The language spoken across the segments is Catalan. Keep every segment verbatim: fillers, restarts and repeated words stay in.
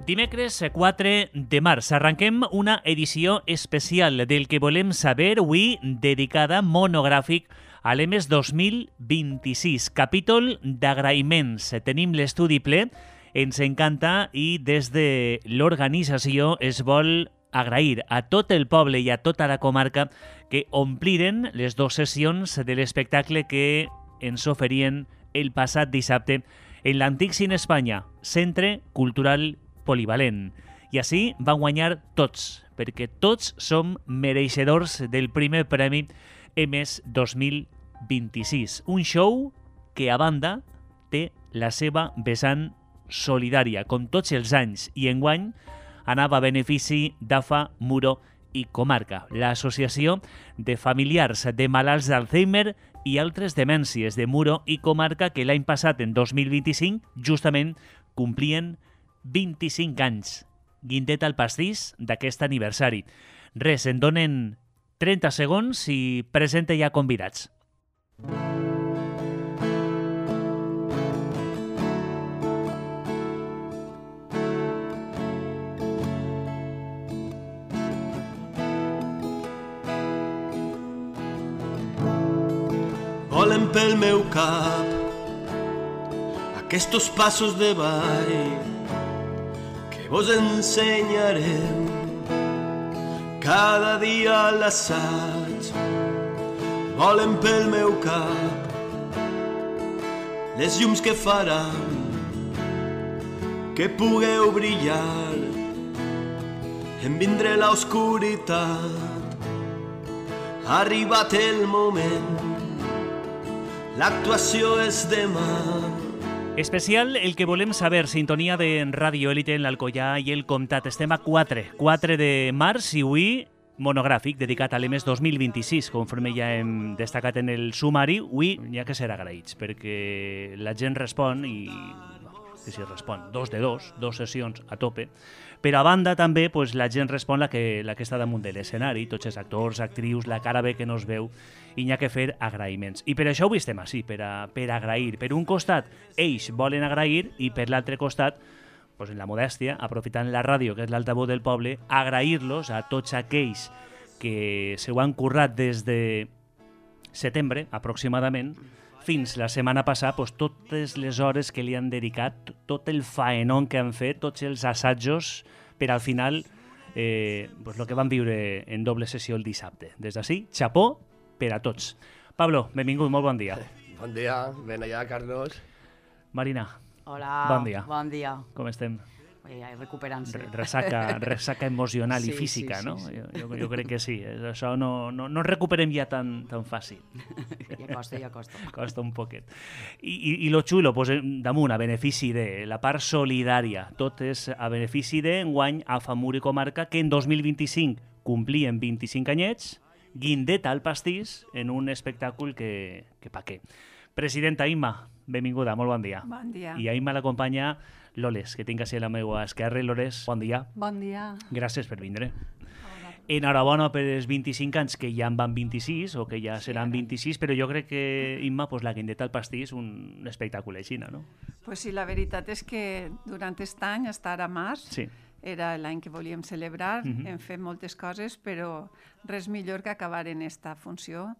Dimecres quatre de març arrenquem una edició especial del que volem saber avui dedicada monogràfic a l'E M E S dos mil vint-i-sis, capítol d'agraïments. Tenim l'estudi ple, ens encanta i des de l'organització es vol agrair a tot el poble i a tota la comarca que ompliren les dues sessions de l'espectacle que ens oferien el passat dissabte en l'antic Cine Espanya, Centre Cultural Polivalent. I així van guanyar tots, perquè tots som mereixedors del primer premi E M E S dos mil vint-i-sis. Un show que, a banda, té la seva vessant solidària, com tots els anys, i enguany anava a benefici d'A F A, Muro i Comarca, l'associació de familiars de malalts d'Alzheimer i altres demències de Muro i Comarca que l'any passat, en dos mil vint-i-cinc, justament complien vint-i-cinc anys. Guindet al pastís d'aquest aniversari. Res, en donen trenta segons i presenta ja convidats. Volen pel meu cap aquests passos de ball que vos ensenyarem cada dia a l'assaig. Volen pel meu cap les llums que faran que pugueu brillar en vindre l'oscuritat. Ha arribat el moment, l'actuació és demà. Especial el que volem saber, sintonia de Ràdio Élite en l'Alcoià i el Comtat. Estem a quatre, quatre de març i avui monogràfic dedicat a l'E M E S dos mil vint-i-sis, conforme ja hem destacat en el sumari. Avui n'hi ha que ser agraïts, perquè la gent respon i... que si respon, dos de dos, dos sessions a tope. Però a banda també pues, la gent respon la que, la que està damunt de l'escenari, tots els actors, actrius, la cara bé que no es veu, i n'hi ha que fer agraïments. I per això avui estem així, per, a, per agrair. Per un costat, ells volen agrair, i per l'altre costat, pues, en la modèstia, aprofitant la ràdio, que és l'altaveu del poble, agrair-los a tots aquells que se ho han currat des de setembre, aproximadament, fins la setmana passada, pues, totes les hores que li han dedicat, tot el faenón que han fet, tots els assajos, per al final, eh, pues, el que van viure en doble sessió el dissabte. Des d'ací, xapó per a tots. Pablo, benvingut, molt bon dia. Bon dia, ben allà, Carlos. Marina. Hola, bon dia. Bon dia. Com estem? Eh, recuperant-se. Resaca, resaca emocional sí, i física, sí, sí, no? Sí, sí. Jo, jo crec que sí. Això no, no, no recuperem ja tan, tan fàcil. Ja costa, ja costa. Costa un poquet. I, i, i lo xulo, pues, damunt, a benefici de la part solidària. Tot és a benefici de enguany a F A, Muro i Comarca, que en dos mil vint-i-cinc complien vint-i-cinc anyets, guindet al pastís en un espectacle que, que pa què. Presidenta Imma, benvinguda, molt bon dia. Bon dia. I a Imma l'acompanya Loles, que tinc així a la meva esquerra. Loles, bon dia. Bon dia. Gràcies per vindre. Enhorabona per els vint-i-cinc anys, que ja en van vint-i-sis, o que ja seran vint-i-sis, però jo crec que, Imma, pues, la guindeta al pastís, un espectacle així, no? Pues sí, la veritat és que durant aquest any, hasta ara març, sí. Era l'any que volíem celebrar, uh-huh. Hem fet moltes coses, però res millor que acabar en esta funció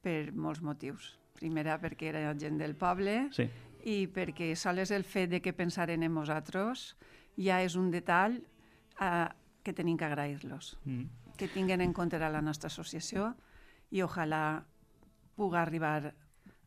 per molts motius. Primera, perquè era gent del poble, sí. I perquè sols el fet de que pensaren en nosaltres ja és un detall uh, que tenim que agrair-los. Mm. Que tinguen en compte la nostra associació i ojalà pugui arribar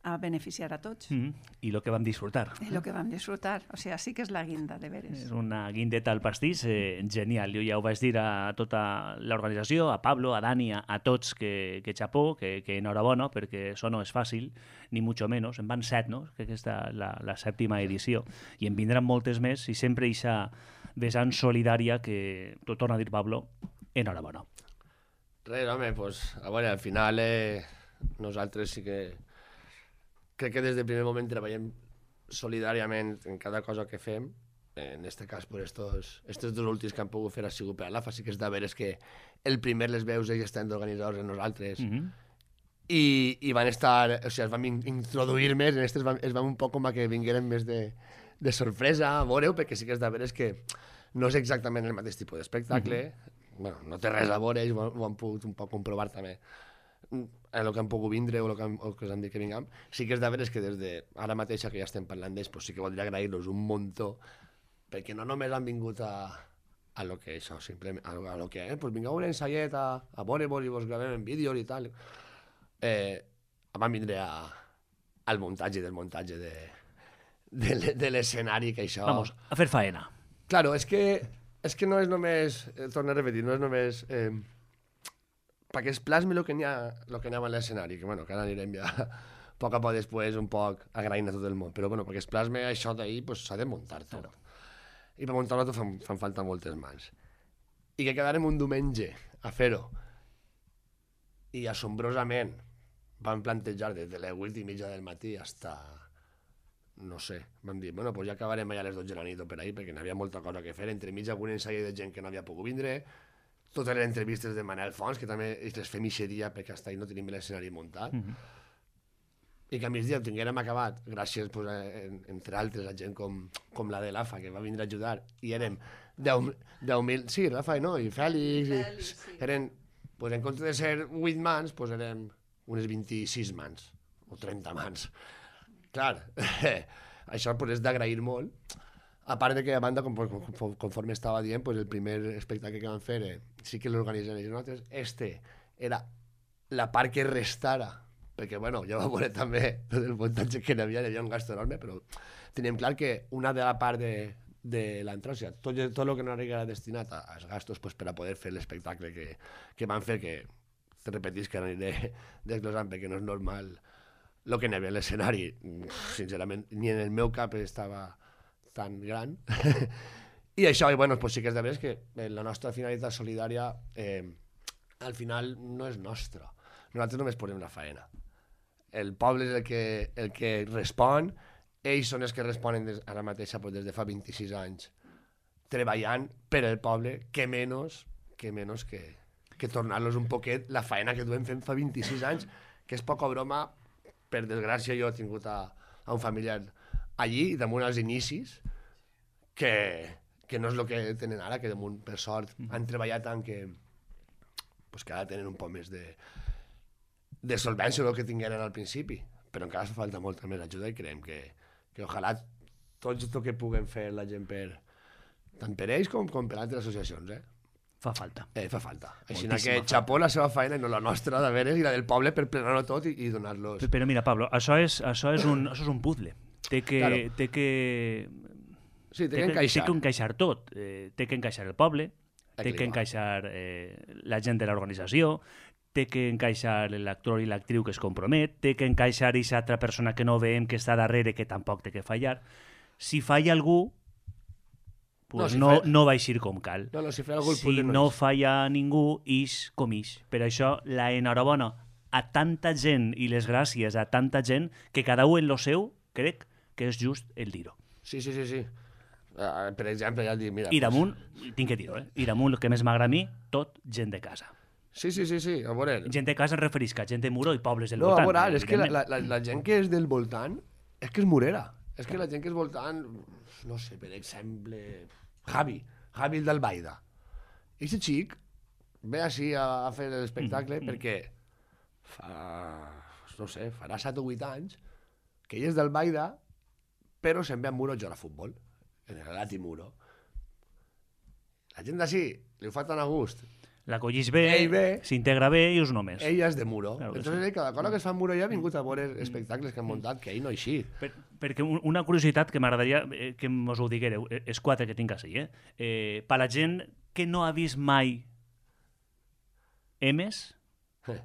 a beneficiar a tots. Mm. I el que vam disfrutar. I el que vam disfrutar. O sigui, sí que és la guinda, de veres. És una guindeta al pastís eh, genial. Jo ja ho vaig dir a tota l'organització, a Pablo, a Dani, a, a tots, que, que xapó, que, que enhorabona, perquè això no és fàcil, ni mucho menos. En van set, no? Que aquesta és la, la sèptima edició. I en vindran moltes més, i sempre eixa vessant solidària que, t'ho torna a dir, Pablo, enhorabona. Res, home, pues, a veure, al final eh, nosaltres sí que crec que des del primer moment treballem solidàriament en cada cosa que fem. En aquest cas, per estos, estos dos últims que han pogut fer ha sigut per a l'A F A. Sí que és de veres que el primer les veus ells estan organitzadors en nosaltres. Mm-hmm. I, i van estar, o sigui, es van introduir més, en aquestes es van un poc com a que vingueren més de, de sorpresa, a veure-ho, perquè sí que és de veres que no és exactament el mateix tipus d'espectacle, mm-hmm. bueno, no té res a veure, ells ho, ho han pogut un poc comprovar també, el que han pogut vindre o el que, han, o que us han dit que vinguem. Sí que és de veres que des de ara mateixa que ja estem parlant d'ells, pues sí que voldria agrair-los un muntó, perquè no només han vingut a, a lo que això, simplement, a, a lo que, eh, pues vingueu un ensaiet a, a veure-vos i vos gravem en vídeos i tal. Eh, van vindre a, al muntatge del muntatge de, de, de l'escenari, que això... Vamos, a fer faena. Claro, és que, és que no és només, eh, torno a repetir, no és només... Eh, perquè es plasmi el que n'hi ha, lo que n'hi ha a l'escenari, que, bueno, que ara anirem ja a poc a poc després, un poc agraint a tot el món, però bueno, perquè es plasmi això d'ahir, pues, s'ha de muntar tot. I per muntar-lo tot fan, fan falta moltes mans. I que quedarem un diumenge a fer-ho, i assombrosament van plantejar des de les vuit i mitja del matí hasta, no sé, vam dir, bueno, pues ja acabarem allà a les dotze de la nit o per ahí, perquè n'hi havia molta cosa que fer, entre mig algun ensai de gent que no havia pogut vindre, totes les entrevistes de Manel Fons, que també les fem ixeria perquè hasta ahí no tenim l'escenari muntat, mm-hmm. i que a migdia ho tinguérem acabat, gràcies, pues, en, entre altres, a gent com, com la de l'A F A, que va vindre a ajudar, i érem deu mil, sí, l'A F A no, i Fèlix, i Fèlix sí. Eren, pues, en compte de ser vuit mans, pues, érem unes vint-i-sis mans, o trenta mans. Clar, això pues, és d'agrair molt. A part de que, a banda, conforme, conforme estava dient, pues, el primer espectacle que van fer eh, sí que l'organitzen ells nosaltres. Este era la part que restara, perquè, bueno, ja va veure també tot el muntatge que n'hi havia, hi havia un gasto enorme, però teníem clar que una de la part de, de l'entrada, o sigui, tot, tot el que no era destinat als gastos pues, per a poder fer l'espectacle que, que van fer, que te repetís que aniré desglosant perquè no és normal el que n'hi havia a l'escenari, sincerament, ni en el meu cap estava tan gran. I això, i bueno, pues sí que és de veres que la nostra finalitat solidària eh, al final no és nostra. Nosaltres només posem la faena. El poble és el que, el que respon, ells són els que responen des, ara mateixa pues, des de fa vint-i-sis anys treballant per el poble, que menys que, menys que, que tornar-los un poquet la faena que duem fent fa vint-i-sis anys, que és poca broma. Per desgràcia jo he tingut a, a un familiar allí, damunt als inicis, que, que no és el que tenen ara, que damunt, per sort, han treballat tant que, pues, que ara tenen un poc més de, de solvència del que tingueren al principi, però encara fa falta molta més ajuda i creiem que, que ojalà tot el que puguem fer la gent per, tant per ells com, com per altres associacions, eh? Fa falta. Eh, fa falta. Així que xapó la seva feina i no la nostra, de veres, i la del poble per plenar-ho tot i, i donar-los... Però mira, Pablo, això és, això és, un, això és un puzzle. Té que... Claro. Té que... Sí, té que encaixar. Té que encaixar tot. Eh, té que encaixar el poble, té que encaixar eh, la gent de l'organització, té que encaixar l'actor i l'actriu que es compromet, té que encaixar aquesta altra persona que no veiem que està darrere, que tampoc té que fallar. Si falla algú, pues no, no, falla... no va eixir com cal. No, no, si falla algú, si no, no falla ningú, ix com ix. Per això, la enhorabona a tanta gent i les gràcies a tanta gent que cada un en lo seu, crec que és just el dir-ho. Sí, sí, sí, sí. Uh, per exemple, ja el dic, mira... I damunt, pues... tinc que dir-ho, eh? I damunt, el que més m'agrada a mi, tot gent de casa. Sí, sí, sí, sí, a veure... Gent de casa em referisc a gent de Muro i pobles del no, voltant. No, a veure, és que la, la, la gent que és del voltant és que és murera. És que la gent que és voltant, no sé, per exemple, Javi, Javi el d'Albaida. I aquest xic ve així a, a fer l'espectacle mm, mm. perquè fa, no sé, farà set o vuit anys que ell és d'Albaida, però se'n ve a Muro a jugar a futbol, en el Lati Muro. La gent d'ací li ho fa tan a gust. La collís bé, s'integra bé i us només. Ella és de Muro. Claro Entonces, sí. Cada cosa que es fa a Muro ja ha vingut a veure espectacles que han muntat, que ell no ha eixit. Per, perquè una curiositat que m'agradaria eh, que mos ho diguereu, eh, és quatre que tinc així, eh? eh per la gent que no ha vist mai Emes, eh.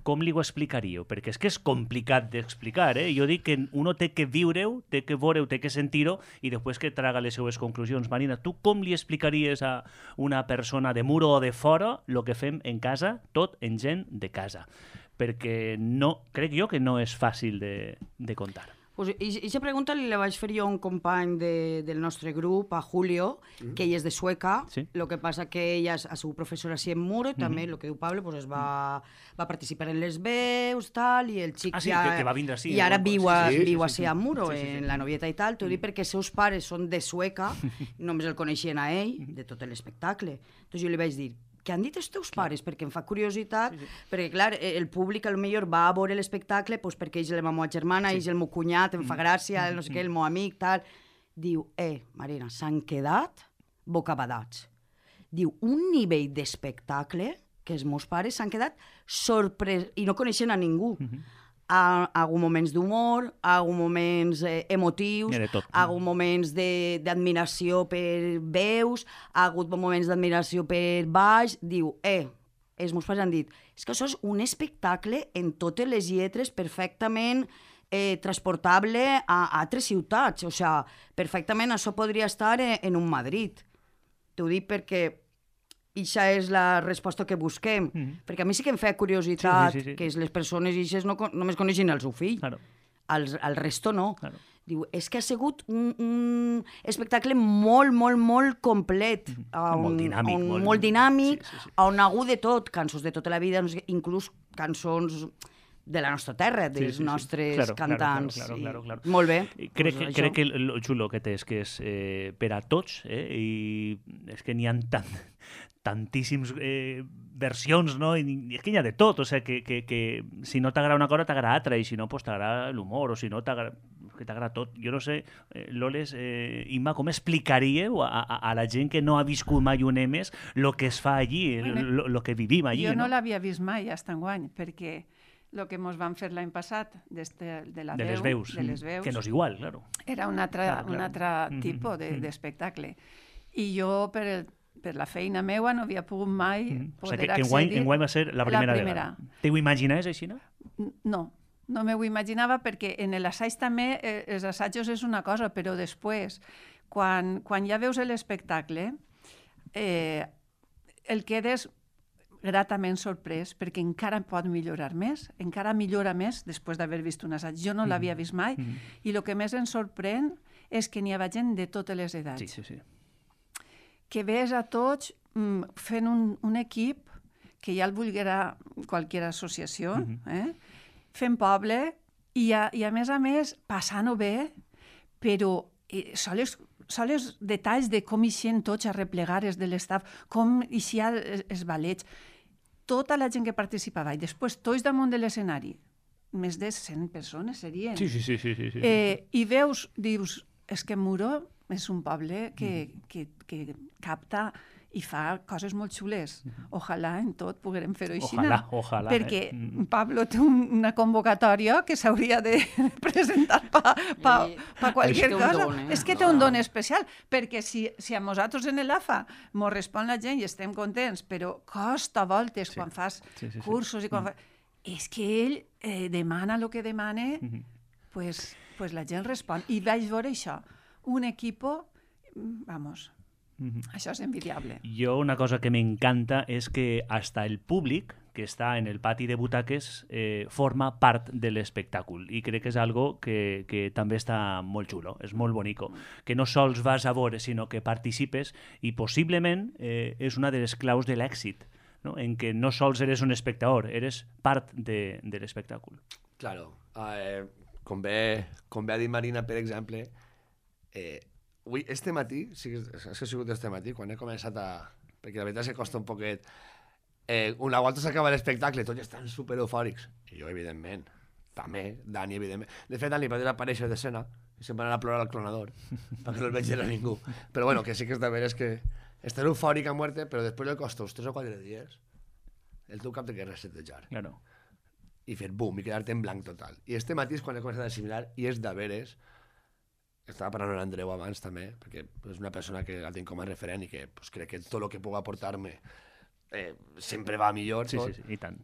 com li ho explicaríeu? Perquè és que és complicat d'explicar, eh? Jo dic que uno té que viure-ho, té que veure-ho, té que sentir-ho i després que traga les seues conclusions. Marina, tu com li explicaries a una persona de Muro o de fora el que fem en casa, tot en gent de casa? Perquè no, crec jo que no és fàcil de, de contar. Pues, i aquesta pregunta li la vaig fer jo a un company de, del nostre grup, a Julio, mm. que ell és de Sueca. Sí. Lo que passa que ella ha sigut professora així en Muro, i també, mm. el que diu Pablo, pues, es va, va participar en les veus, tal, i el xic ah, sí, ja... que, que va vindre així. I ara viu, a, sí, sí, viu sí, així sí, sí. a Muro, sí, sí, sí. en la novieta i tal. T'ho dic perquè els seus pares són de Sueca, només el coneixien a ell, de tot l'espectacle. Entonces jo li vaig dir, què han dit els teus pares? Perquè em fa curiositat, sí, sí. perquè, clar, el públic potser va a veure l'espectacle pues, perquè és la meva germana, sí. és el meu cunyat, em fa gràcia, no sé què, el meu amic, tal. Diu, eh, Marina, s'han quedat bocabadats. Diu, un nivell d'espectacle que els meus pares s'han quedat sorprès, i no coneixen a ningú. Mm-hmm. Ha, ha hagut moments d'humor, ha hagut moments eh, emotius, ha hagut moments d'admiració per veus, ha hagut moments d'admiració per baix. Diu, eh, els meus pares han dit, és que això és un espectacle en totes les lletres perfectament eh, transportable a, a altres ciutats. O sigui, perfectament això podria estar en, en un Madrid. T'ho dic perquè Ixa és la resposta que busquem. Mm-hmm. Perquè a mi sí que em fa curiositat sí, sí, sí, sí. que les persones ixes no, només coneixen el seu fill. Claro. El, el resto no. Claro. Diu, és que ha sigut un, un espectacle molt, molt, molt complet. Mm-hmm. On, molt dinàmic. On, molt... molt dinàmic, sí, sí, sí. on ha hagut de tot. Cançons de tota la vida, inclús cançons de la nostra terra, dels sí, sí, sí. nostres claro, cantants. Claro, claro, claro, claro. I... Molt bé. Crec, pues, que, crec que el xulo que té és que és eh, per a tots, eh, i és que n'hi ha tant... tantíssims eh, versions, no? I és que hi ha de tot, o sigui, que, que, que si no t'agrada una cosa t'agrada altra, i si no, pues t'agrada l'humor, o si no, t'agrada que t'agrada tot. Jo no sé, eh, Loles, eh, Imma, com explicaríeu a, a, a la gent que no ha viscut mai un Emes el que es fa allí, el que vivim allí, jo no? no? Jo no l'havia vist mai, hasta enguany, perquè el que ens van fer l'any passat de, de la de veu, les veus, de les veus, que no és igual, claro. Era un altre, claro, claro. un altre tipus mm-hmm. d'espectacle. I jo, per, el, per la feina meua, no havia pogut mai mm-hmm. poder o sigui, que, accedir... Que enguany, enguany va ser la primera, la primera. vegada. Te ho imaginaves així, no? No, no m'ho imaginava perquè en l'assaig també, eh, els assajos és una cosa, però després, quan, quan ja veus l'espectacle, eh, el quedes gratament sorprès perquè encara pot millorar més, encara millora més després d'haver vist un assaig. Jo no l'havia vist mai mm-hmm. i el que més ens sorprèn és que n'hi ha gent de totes les edats. Sí, sí, sí. Que ves a tots mm, fent un, un equip que ja el volguera qualsevol associació, mm-hmm. eh? fent poble i a, i a més a més passant-ho bé, però eh, sols sols detalls de com ixen tots a replegar els de l'estaf, com ixia els, els ballets, tota la gent que participava, i després tots damunt de l'escenari, més de cent persones serien. Sí, sí, sí. sí, sí, sí. Eh, I veus, dius, és que Muro és un poble que, mm. que, que capta i fa coses molt xules. Ojalà en tot poguérem fer-ho així. Ojalà, ojalà. Perquè eh? Pablo té un, una convocatòria que s'hauria de presentar per pa, pa, pa qualsevol cosa. Don, eh? És que té un don especial, perquè si, si a nosaltres en l'A F A mos respon la gent i estem contents, però costa voltes sí. quan fas sí, sí, sí. cursos i quan mm. fa... És que ell eh, demana el que demana, mm-hmm. pues, pues la gent respon. I vaig veure això. Un equipo, vamos... Mm-hmm. Això és envidiable. Jo una cosa que m'encanta és que hasta el públic que està en el pati de butaques eh, forma part de l'espectacle i crec que és algo que, que també està molt xulo, és molt bonico, que no sols vas a veure sinó que participes i possiblement eh, és una de les claus de l'èxit, no? En què no sols eres un espectador, eres part de, de l'espectacle. Claro, eh, com, bé, com bé ha dit Marina, per exemple, eh, avui, este matí, sí que és que ha sigut este matí, quan he començat a... Perquè la veritat és que costa un poquet... Eh, una volta s'acaba l'espectacle, tots estan super eufòrics. I jo, evidentment, també, Dani, evidentment. De fet, Dani va desaparèixer d'escena i se'n van anar a plorar al clonador, perquè no el veig a ningú. Però bueno, que sí que és de veres que estàs eufòric a muerte, però després li costa uns tres o quatre dies el teu cap de que resetejar. Claro. I fer bum, i quedar-te en blanc total. I este matí és quan he començat a assimilar, i és de veres... Estava parlant amb l'Andreu abans també, perquè és una persona que la tinc com a referent i que pues, crec que tot el que pugui aportar-me eh, sempre va millor. Sí, sí, sí, i tant.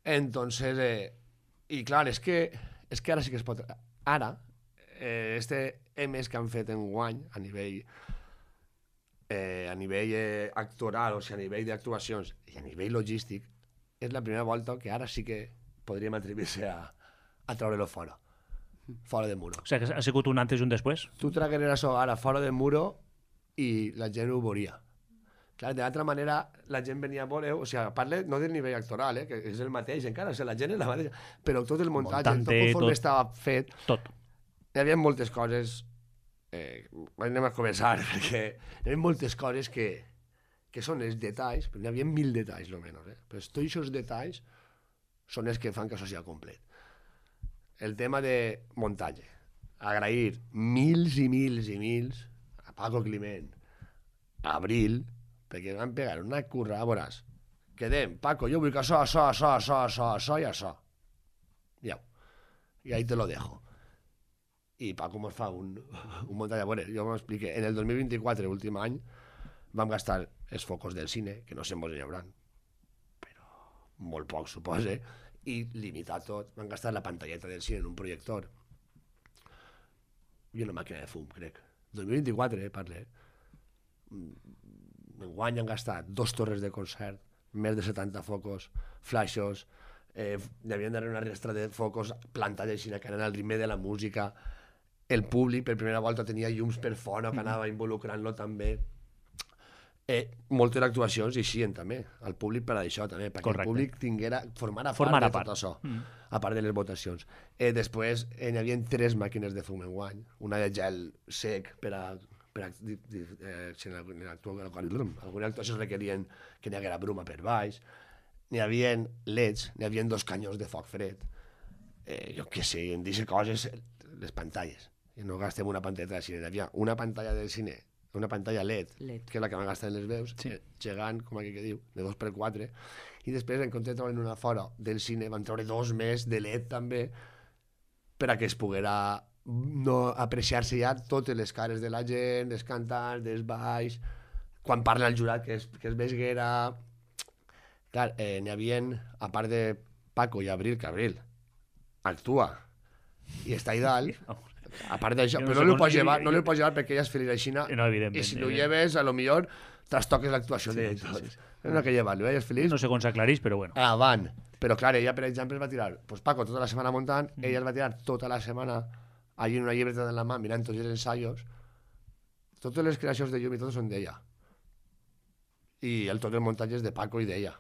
Entonces, eh, i clar, és que, és que ara sí que es pot... Ara, eh, este Emes que han fet en guany a nivell eh, a nivell eh, actoral, o sigui, a nivell d'actuacions i a nivell logístic, és la primera volta que ara sí que podríem atrevir-se a, a treure-lo fora. fora del muro. O sigui, que ha sigut un antes i un després. Tu tragueres això ara fora del muro i la gent ho veuria. Clar, de l'altra manera, la gent venia a veure, o sigui, parle no del nivell actoral, eh, que és el mateix encara, o sigui, la gent és la mateixa, però tot el muntatge, Montante, tot conforme tot. estava fet, Tot. hi havia moltes coses, eh, anem a començar, perquè hi havia moltes coses que, que són els detalls, però hi havia mil detalls, almenys, eh? Però tots aquests detalls són els que fan que això sigui complet. El tema de muntatge. Agrair mils i mils i mils a Paco Climent, a Abril, perquè van pegar una curra, a veuràs. Quedem, Paco, jo vull que això, això, això, això, això, això i això. Ja. I ahí te lo dejo. I Paco mos fa un, un muntatge. A veure, jo m'explique. En el dos mil vint-i-quatre, últim any, vam gastar els focus del cine, que no sé mos en hauran, però molt poc, supose, i limitar tot. Vam gastar la pantalleta del cine en un projector i una màquina de fum, crec. dos mil vint-i-quatre, eh, parle. Enguany han gastat dos torres de concert, més de setanta focus, flashos, eh, hi havien d'haver una restra de focus plantats així que anaven al ritme de la música. El públic per primera volta tenia llums per fora que anava involucrant-lo també. Eh, moltes actuacions i així també, el públic per això també, perquè Correcte. el públic tinguera, formara part Formara de tot part. això, Mm. a part de les votacions. Eh, després eh, hi havia tres màquines de fum enguany, una de gel sec per a, per a di, di, eh, si en alguna actuació requerien que n'hi haguera bruma per baix, n'hi havia leds, n'hi havia dos canyons de foc fred, eh, jo què sé, en d'aquestes coses, les pantalles, i no gastem una pantalla de cine, n'hi havia una pantalla del cine, una pantalla L E D, L E D. que és la que van gastar en les veus, Sí. eh, gegant, com aquí que diu, de dos per quatre, i després en compte de treure una fora del cine, van treure dos més de L E D també, per a que es poguera no apreciar-se ja totes les cares de la gent, dels cantants, dels balls, quan parla el jurat, que és, que és Vesguera. Clar, eh, n'hi havia, a part de Paco i Abril, que Abril actua i està ahí dalt, a part d'això, Jo no però sé no li com- pots llevar, no jo- li pots llevar perquè ella és feliç així, No, evidentment, i si no ho evidentment. lleves, a lo millor trastoques l'actuació Sí, de sí, tot. sí, sí. No que llevar-lo, ella és feliç, No sé com s'aclareix, però bueno. avant. Però clar, ella, per exemple, es va tirar, pues Paco tota la setmana muntant, Mm. ella es va tirar tota la setmana allí en una llibreta en la mà, mirant tots els ensaios. Totes les creacions de llum i tot són d'ella. I el, tot el muntatge és de Paco i d'ella.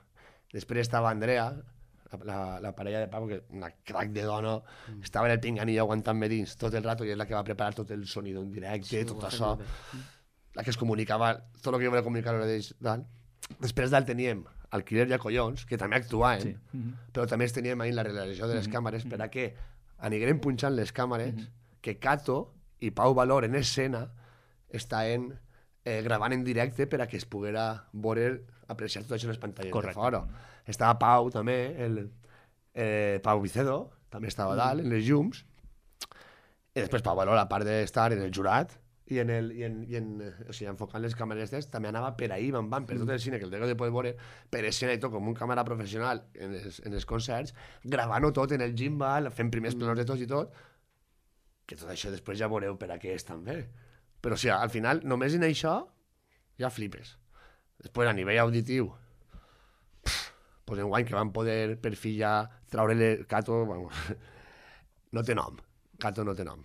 Després estava Andrea, la, la, la parella de Paco, que una crac de dona, mm. estava en el pinganillo aguantant-me dins tot el rato i és la que va preparar tot el sonido en directe, sí, tot això. La que es comunicava, tot el que jo volia comunicar d'ells. Després dalt teníem Alquiler i a Collons, que també actuaven, Sí. mm -hmm. però també teníem ahí la realització de les mm -hmm. càmeres per a que anirem punxant les càmeres, mm -hmm. que Cato i Pau Valor en escena estaven eh, gravant en directe per a que es poguera veure, apreciar tot això en les pantalles Correcte. de fora. Estava Pau també, el, eh, Pau Vicedo, també estava mm. dalt, en les llums, i després Pau Valor, a part d'estar en el jurat, i en, el, i en, i en, o sigui, enfocant les càmeres d'est, també anava per ahí, van, van, per tot el cine, que el tengo de poder veure, per escena i tot, com un càmera professional en els, en els concerts, gravant-ho tot en el gimbal, fent primers planos de tots i tot, que tot això després ja veureu per a què és també. Però, o sigui, al final, només en això ja flipes. Després, a nivell auditiu, pff, pues enguany que van poder per fi ja traure-li Cato, vamos, no té nom. Cato no té nom.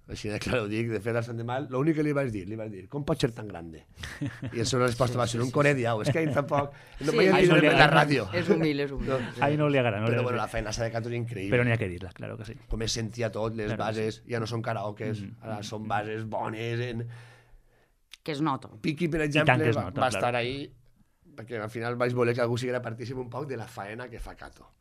Així de clar ho dic, de fet, al Sant de Mal, l'únic que li vaig dir, li vaig dir, com pot ser tan grande? I la seva resposta va ser un corediau, és que ell tampoc, no Sí, m'hi ai, entendre no li en la agrada. ràdio. És humil, és humil. No. Sí. Ahí no li agrada. No li Però agrada. bueno, la feina de Cato és increïble. Però n'hi ha que dir-la, claro que sí. Com es sentia tot, les Claro que bases, ja no són karaokes, Mm-hmm. ara són bases bones, en... Que es nota. Piqui, per tant exemple, que es va, nota, va claro. estar ahí, perquè al final vaig voler que algú siguera partícip un poc de la faena que fa Cato.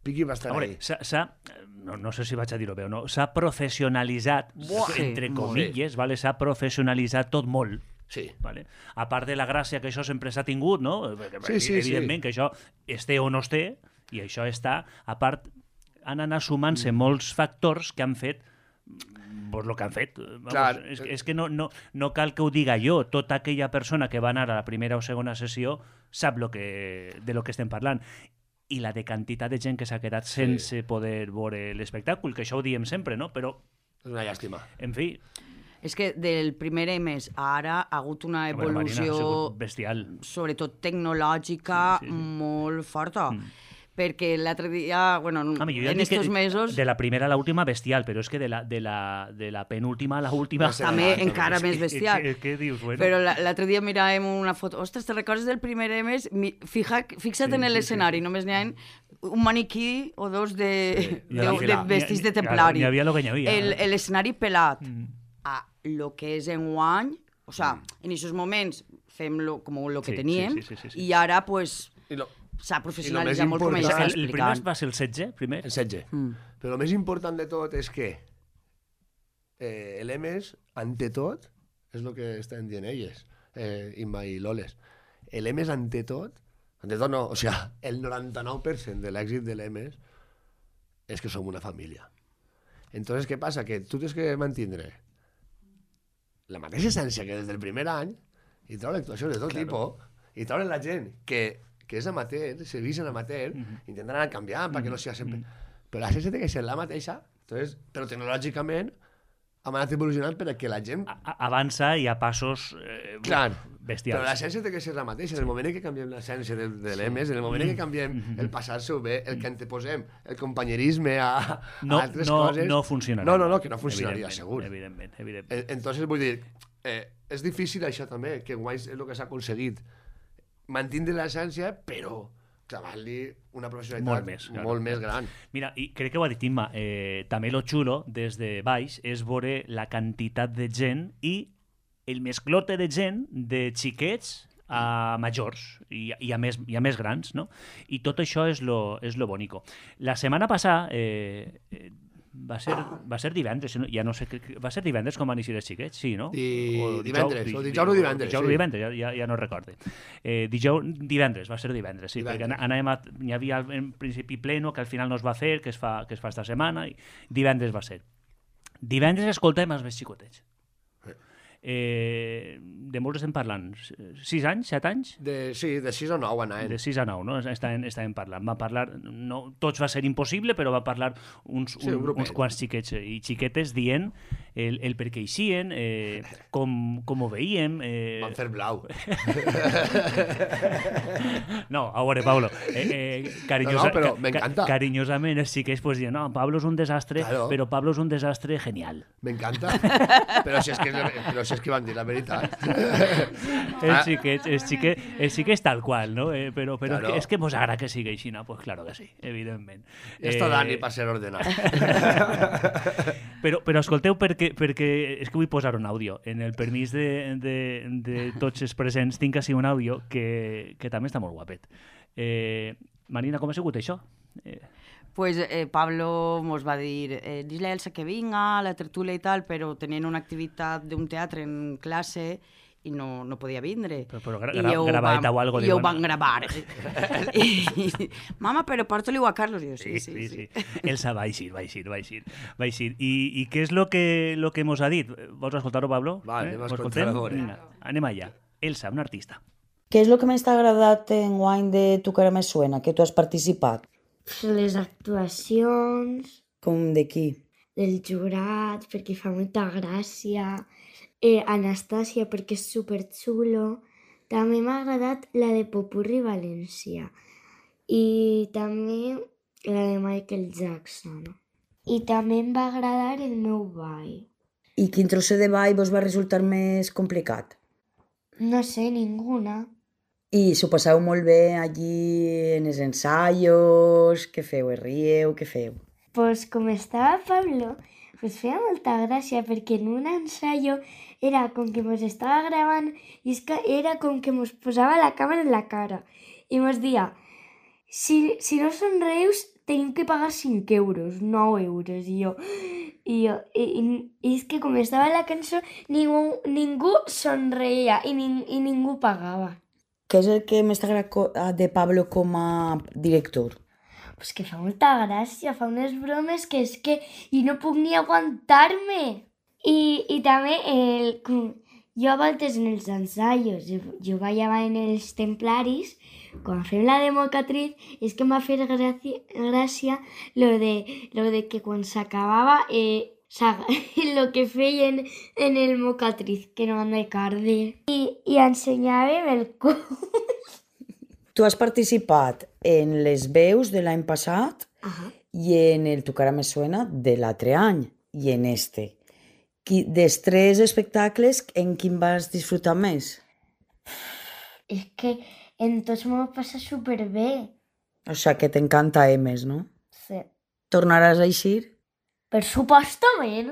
Piqui va estar A veure, ahí. s'ha, s'ha- no, no sé si vaig a dir-ho bé o no, s'ha professionalitzat, Buah, entre sí, comilles, vale? S'ha professionalitzat tot molt. Sí. Vale? A part de la gràcia que això sempre s'ha tingut, no? Sí, sí, Evidentment sí. que això es té o no es té, i això està, a part, han anat sumant-se molts factors que han fet pues, el que han fet. Vamos, Clar. és, és que no, no, no cal que ho diga jo. Tota aquella persona que va anar a la primera o segona sessió sap lo que, de lo que estem parlant. I la de quantitat de gent que s'ha quedat sense sí. poder veure l'espectacle, que això ho diem sempre, no? Però, És una llàstima. en fi, És que del primer E M E S a ara ha hagut una Bueno, Marina, ha evolució, sigut bestial. sobretot tecnològica, Sí, sí, sí. molt forta. Mm. perquè l'altre dia, bueno, Home, jo ja en dic que estos mesos... de la primera a l'última bestial, però és que de la, de la, de la penúltima a l'última... També encara més bestial. Què, què dius? Bueno. Però l'altre dia miràvem una foto... Ostres, te recordes del primer M S? Fija, fixa't Sí, en sí, l'escenari, sí, sí. només n'hi ha un maniquí o dos de, Sí, de, de de vestits de templari. N'hi havia lo que n'hi havia. El- L'escenari pelat Mm. a lo que és enguany, o sea, en aquests moments fem lo, com lo que Sí, teníem, sí, sí, sí, sí. i ara pues I lo, s'ha I professionalitzat lo més molt com ell important- està El, el primer explicant. va ser el setze, primer? el setze. Mm. Però el més important de tot és que eh, l'M S, ante tot, és el que estan dient elles, eh, Imma i Loles. L'M S, ante tot, ante tot no, o sigui, el noranta-nou per cent de l'èxit de l'M S és que som una família. Entonces, què passa? Que tu tens que mantindre la mateixa essència que des del primer any i treure actuacions de tot claro. tipus i treure la gent que, que és amateur, se visen amateur, mm -hmm. intentant anar canviant mm -hmm. perquè no sigui sempre... Mm -hmm. Però l'essència té que ser la mateixa, entonces, però tecnològicament hem anat evolucionant perquè la gent... A, a, avança i a passos eh, Clar, bestials. però l'essència té que ser la mateixa. En el moment en què canviem l'essència de, de l'M S, en el moment en què canviem el passar-se-ho bé, el que anteposem, el companyerisme a, no, a altres no, coses... No funcionarà. No, no, no, que no funcionaria, Evidentment, segur. Evidentment, evidentment. Entonces, vull dir, eh, és difícil això també, que guai és el que s'ha aconseguit. Mantindre l'essència, però clavant-li una professionalitat Molt més, claro. molt més gran. Mira, i crec que ho ha dit Imma, eh, també lo xulo des de baix és veure la quantitat de gent i el mesclote de gent de xiquets a majors i, i, a més, i a més grans, no? I tot això és lo, és lo bonico. La setmana passada eh, eh, va ser, va ser divendres, no? Ja no sé, va ser divendres com van eixir els xiquets, sí, no? Di, O divendres, dijous, o dijous o divendres. Dijous o sí. divendres, ja, ja, ja no recorde. Eh, dijous, divendres, va ser divendres, sí, Divendres. perquè anàvem a, hi havia en principi pleno que al final no es va fer, que es fa, que es fa esta setmana, i divendres va ser. Divendres escoltem els més xicotets. Eh, de molts estem parlant, sis anys, set anys? De, sí, de sis o nou anaven. De sis a nou, no? Estàvem, estàvem parlant. Va parlar, no, tots va ser impossible, però va parlar uns, Sí, un un, grupet. uns quants xiquets i xiquetes dient el, el per què eixien, eh, com, com ho veiem... Eh... Van fer blau. No, a veure, Pablo, eh, eh, carinyosa, No, no, però ca- m'encanta. ca- carinyosament els xiquets pues, diuen, no, Pablo és un desastre, Claro. però Pablo és un desastre genial. M'encanta. Però si és que, però si és que van dir la veritat. Els xiquets, els xiquets, els xiquets tal qual, no? Eh, però però Claro. és, que, és que mos agrada que sigui així, no? Pues claro que sí, evidentment. I esto Dani per ser ordenat. Però, però escolteu, perquè, perquè és que vull posar un àudio. En el permís de, de, de tots els presents tinc així un àudio que, que també està molt guapet. Eh, Marina, com ha sigut això? Eh, Pues eh, Pablo mos va dir, eh, dis-li a Elsa que vinga a la tertúlia i tal, però tenien una activitat d'un teatre en classe i no, no podia vindre. Però- però gra- I gra- ho gravadeta vam- o algo, I diuen. ho van gravar. I, mama, però porta-li-ho a Carlos. I jo, sí, sí, sí. Elsa va eixir, va eixir, va eixir. Va eixir. I, I què és lo que, lo que mos ha dit? Vols escoltar-ho, Pablo? Vale, anem a Ho escoltar-ho, escoltem? a veure. Vinga, anem allà. Elsa, una artista. Què és el que més t'ha agradat en guany de Tu cara me suena, que tu has participat? Les actuacions Com de qui? del jurat, perquè fa molta gràcia. Eh, Anastàcia, perquè és superxulo. També m'ha agradat la de Popurri València. I també la de Michael Jackson. I també em va agradar el meu ball. I quin trosset de ball vos va resultar més complicat? No sé, ninguna. I s'ho passeu molt bé allí en els ensaios, què feu, es rieu, què feu? Pues com estava Pablo, pues feia molta gràcia perquè en un ensayo era com que mos estava gravant i és que era com que mos posava la càmera en la cara i mos dia si, si no somreus tenim que pagar cinc euros, nou euros i jo, i, jo, i, i, i és que com estava la cançó ningú, ningú somreia i, ning, i ningú pagava. Què és el que més t'agrada co- de Pablo com a director? Pues que fa molta gràcia, fa unes bromes que és que i no puc ni aguantar-me. I, i també el, com, jo a voltes en els ensaios, jo, jo ballava en els templaris, quan fem la de mocatriz, és que em va fer gràcia, gràcia lo de, lo de que quan s'acabava eh, lo que feien en el mocatriz, que no han de carde. I, i ensenyàvem el cos. Tu has participat en les veus de l'any passat Ajá. i en el Tu cara me suena de l'altre any i en este. Qui, dels tres espectacles, en quin vas disfrutar més? Es que en tots m'ho passa superbé. O sigui que t'encanta Emes, no? Sí. Tornaràs a eixir? Per supostament.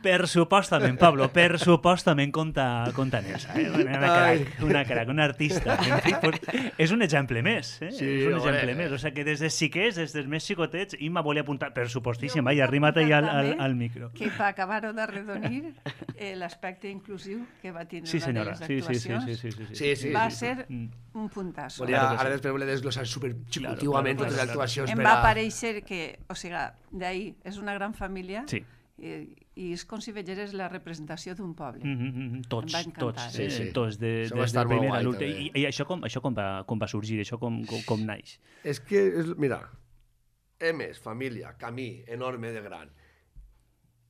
Per supostament, Pablo, per supostament conta, conta en esa. Eh? Una, crac, una crac, un artista. En fi, pues, és un exemple més. Eh? Sí, és un home. exemple més. O sigui que des de xiquets, des dels més xicotets, Imma volia apuntar, per supostíssim, vaja, arrima't ahí al, al, al micro. Que per acabar-ho d'arredonir, eh, l'aspecte inclusiu que va tindre Sí, una senyora. de les Sí, sí, sí, actuacions sí, sí, sí, Sí, sí. va sí. ser Mm. un puntasso. Volia, Claro que ara sí. després volia desglossar super Claro, xicotiuament claro, totes les claro, actuacions Em per va a... aparèixer que, o sigui, d'ahir, és una gran família Sí. i, i és com si vegeres la representació d'un poble. Mm -hmm, tots, Em va encantar. tots, Sí, eh? sí. tots, de, Això va des estar del molt primer a guai, l'últim. també. I, I això, com, això com, va, com va sorgir, això com, com, com naix? És que, és, mira, Emes, família, camí enorme de gran.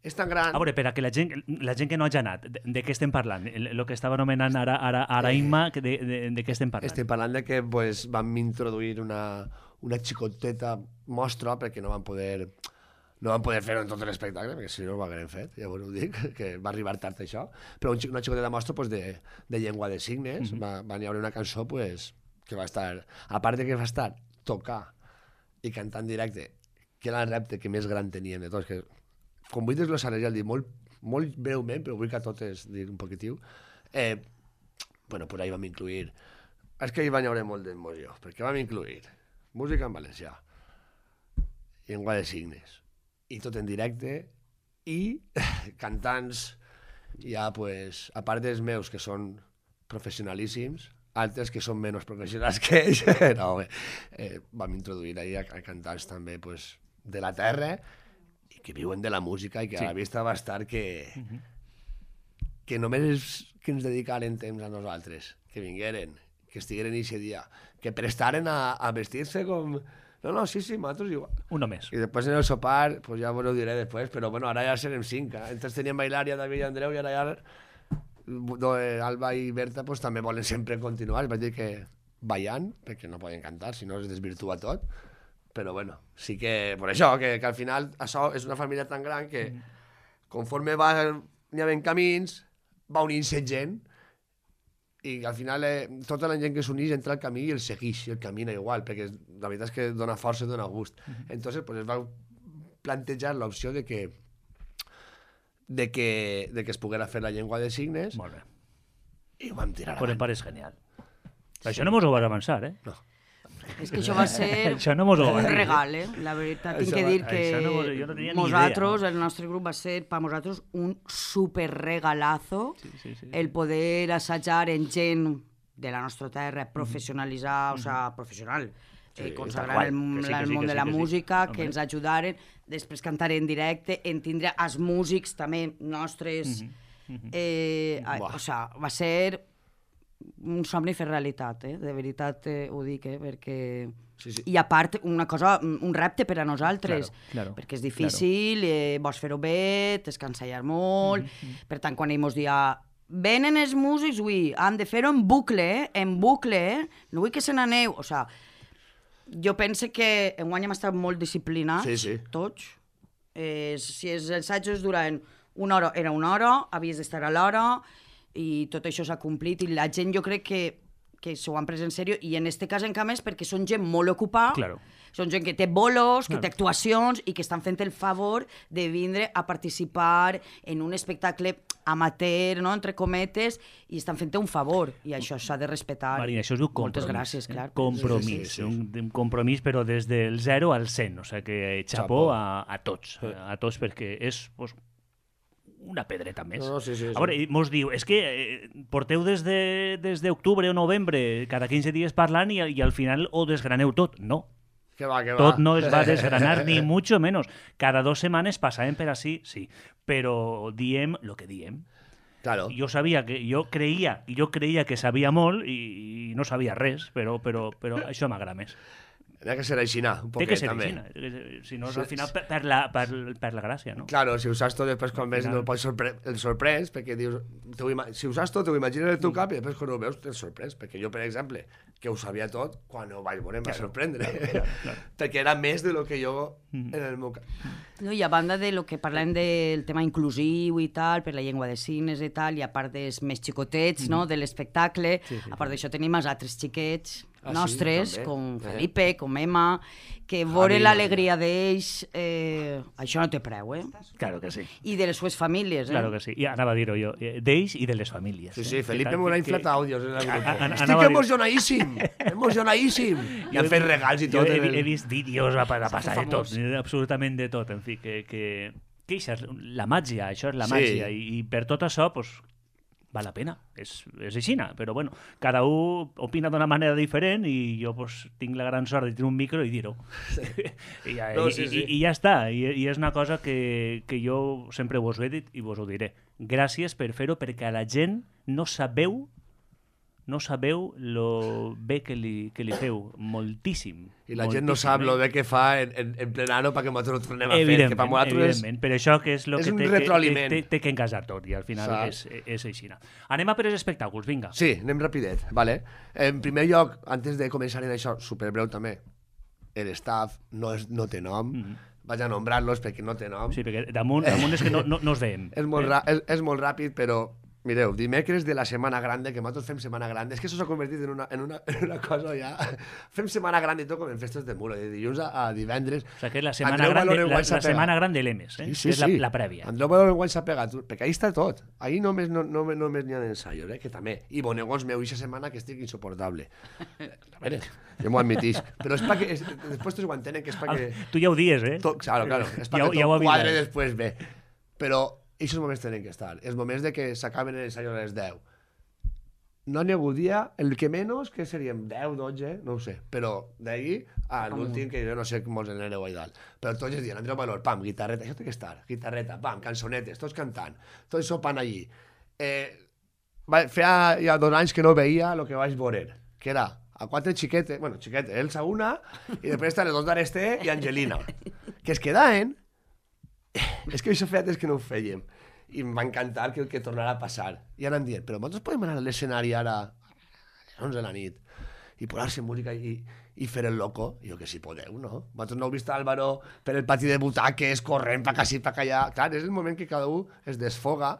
És tan gran... A veure, per a que la gent, la gent que no hagi anat, de, de què estem parlant? El, el que estava anomenant ara, ara, ara Imma, que de, de, de què estem parlant? Estem parlant de que pues, vam introduir una, una xicoteta mostra perquè no van poder no van poder fer-ho en tot l'espectacle, perquè si no ho haguem fet, llavors ho dic, que va arribar tard això, però un, xic- una xicoteta mostra pues, de, de llengua de signes, mm -hmm. va, va n'hi haver una cançó pues, que va estar, a part de que va estar tocar i cantar en directe, que era el repte que més gran teníem de tots, que com vull desglossar ja el dir molt, molt breument, però vull que a totes dir un poquitiu, eh, bueno, per ahí vam incluir, és que hi va haver molt d'emoció, perquè vam incluir música en valencià, llengua de signes, i tot en directe, i cantants, ja, pues, a part dels meus, que són professionalíssims, altres que són menys professionals que ells, no, bé, eh, vam introduir ahí a, a cantants també, pues, de la terra, i que viuen de la música, i que sí. A la vista va estar que, uh -huh. que només que ens dedicaren temps a nosaltres, que vingueren, que estigueren aquest dia, que prestaren a, a vestir-se com... No, no, sí, sí, nosaltres igual. Uno més. I després en el sopar, pues ja vos ho diré després, però bueno, ara ja serem cinc. Eh? Entonces teníem Bailaria, David i Andreu, i ara ja do, eh, Alba i Berta pues, també volen sempre continuar. Vaig dir que ballant, perquè no poden cantar, si no es desvirtua tot. Però bueno, sí que, per això, que, que al final això és una família tan gran que conforme va n'hi havent camins, va unint-se gent, i al final eh, tota la gent que s'uneix entra al camí i el segueix, i el camina igual, perquè la veritat és que dona força i dona gust. Uh -huh. Entonces, pues es va plantejar l'opció de que de que, de que es poguera fer la llengua de signes. Molt bé. I ho vam tirar Por em avant. pareix genial. Sí. Això no mos ho vas avançar, eh? No. És que això va ser Això no mos ho un vas dir. regal, eh? La veritat, tinc Això que va- dir que això no mos- jo no tenia ni nosaltres, idea. el nostre grup va ser, per nosaltres, un super regalazo Sí, sí, sí. el poder assajar en gent de la nostra terra, professionalitzar, o sigui, professional, eh, consagrar tal el, qual. Que sí, que el sí, món que de sí, la que sí. música, Home. que ens ajudaren, després cantar en directe, en tindre els músics també nostres... eh, a- Buah. o sigui, va ser un somni fer realitat, eh? De veritat eh, ho dic, eh? Perquè... Sí, sí. I a part, una cosa, un repte per a nosaltres, Claro, claro, perquè és difícil, eh, vols fer-ho bé, t'has cansat molt, per tant, quan ell mos dia venen els músics, ui, han de fer-ho en bucle, eh? En bucle, eh? No vull que se n'aneu, o sigui, jo penso que enguany hem estat molt disciplinats, Sí, sí. tots. Eh, si els assajos duren una hora, era una hora, havies d'estar a l'hora, i tot això s'ha complit, i la gent jo crec que que s'ho han pres en sèrio, i en este cas encara més perquè són gent molt ocupada, Claro. són gent que té bolos, que Claro. té actuacions i que estan fent el favor de vindre a participar en un espectacle amateur, no?, entre cometes, i estan fent un favor, i això s'ha de respectar. Marina, això es diu Moltes compromís. gràcies, eh? clar. Compromís. Sí, sí, sí. Un, un compromís, però des del zero al cent. O sigui que xapó Xapó. a, a tots. A tots, perquè és pues, una pedreta més. No, no, sí, sí, sí. A veure, i mos diu, és que eh, porteu des de, des d'octubre o novembre cada quinze dies parlant i, i al final ho desgraneu tot. No, Que va, que va. tot no es va desgranar, ni mucho menos. Cada dos setmanes passàvem per així, sí. Però diem lo que diem. Claro. Jo sabia que, jo creia, jo creia que sabia molt i, i no sabia res, però, però, però això m'agrada més. Tenia que ser aixina, un Té poquet, que ser també. aixina, si no, al final per, per, la, per, per la gràcia, no? Claro, si ho saps tot, després quan ves final- no el pots sorpre el sorprès, perquè dius, te ho ima- si ho saps tot, ho imagines en el teu cap i després quan ho veus te'l sorprès, perquè jo, per exemple, que ho sabia tot, quan ho vaig veure em va Claro, sorprendre, claro, claro, claro. perquè era més de lo que jo en el meu cap. No, i a banda de lo que parlem del tema inclusiu i tal, per la llengua de signes i tal, i a part dels més xicotets, no?, de l'espectacle, Sí, sí, a part d'això tenim els altres xiquets Ah, sí, nostres, també. com Eh. Felipe, com Emma, que veure Javi, l'alegria d'ells, eh, això no té preu, eh? Claro que sí. I de les sues famílies, eh? Claro que sí. I anava a dir-ho jo, eh, d'ells i de les famílies. Sí, eh? sí, Felipe Que- m'ho ha que- inflat àudios en el A- grup. a- anava Estic a dir- emocionadíssim, emocionadíssim. I han fet regals i Jo tot. he, en el- he vist vídeos a, a passar de tot, famós. absolutament de tot, en fi, que, que, que això és la màgia, això és la Sí. màgia, i, i per tot això, pues, val la pena, és, és aixina, però bueno, cada un opina d'una manera diferent i jo pues, tinc la gran sort de tenir un micro i dir-ho. I, ja, No, i, sí, sí. i, I ja està, I, i és una cosa que, que jo sempre vos ho he dit i vos ho diré. Gràcies per fer-ho, perquè a la gent no sabeu no sabeu lo bé que li, que li feu, moltíssim. I la gent no moltíssim, sap eh? lo bé que fa en, en, en plenano perquè nosaltres ho tornem a fer. Evidentment, Que per nosaltres és... evidentment. Per això que és, lo és que un té, que, retroaliment. té, té que engasar tot i al final és, Saps? és així. Anem a per els espectacles, vinga. Sí, anem rapidet, vale? En primer lloc, antes de començar en això, superbreu també, el staff no, és, no té nom, mm -hmm. vaig a nombrar-los perquè no té nom. Sí, perquè damunt, damunt és que no, no, no els veiem. És molt, ra és, és molt ràpid, però mireu, dimecres de la Setmana Grande, que nosaltres fem Setmana Grande, és que això s'ha convertit en una, en, una, en una cosa ja... Fem Setmana Grande i tot com en festes de muro, de dilluns a, a divendres. O sigui que la setmana Andreu gran, Valor en la, guany s'ha la pegat. setmana gran de l'E M E S, eh? Sí, sí, que és la, sí. la prèvia. Andreu Valor en guany s'ha pegat, perquè ahí està tot. Ahí només, no, no, només n'hi ha d'ensaios, eh? Que també. I bonegons meu, aquesta setmana que estic insoportable. A veure, jo m'ho admitisc. Però és perquè... És, després tots ho entenen, que és perquè... Tu ja ho dies, eh? Tot, claro, claro. És Ja perquè ho- ja ho tot quadre avisaré. després bé. Però aquests moments tenen que estar. Els moments de que s'acaben els ensaios a les deu. No n'hi ha hagut dia, el que menys, que seríem deu, dotze, no ho sé. Però d'ahir a l'últim, que jo no sé com els n'aneu a dalt. Però tots els dies, Andreu Valor, pam, guitarreta, això té que estar. Guitarreta, pam, cançonetes, tots cantant, tots sopant allí. Eh, va, feia ja dos anys que no veia el que vaig veure, que era a quatre xiquetes, bueno, xiquetes, Elsa una, i després estan les dos d'Arester i Angelina, que es quedaven. És que això feia temps que no ho fèiem. I em va encantar que, que tornara a passar. I anant dient, però nosaltres podem anar a l'escenari ara a les onze de la nit i posar-se música i, i fer el loco? I jo que sí podeu, no? Vosaltres no heu vist Álvaro per el pati de butaques, corrent pa cací, pa allà. Clar, és el moment que cada un es desfoga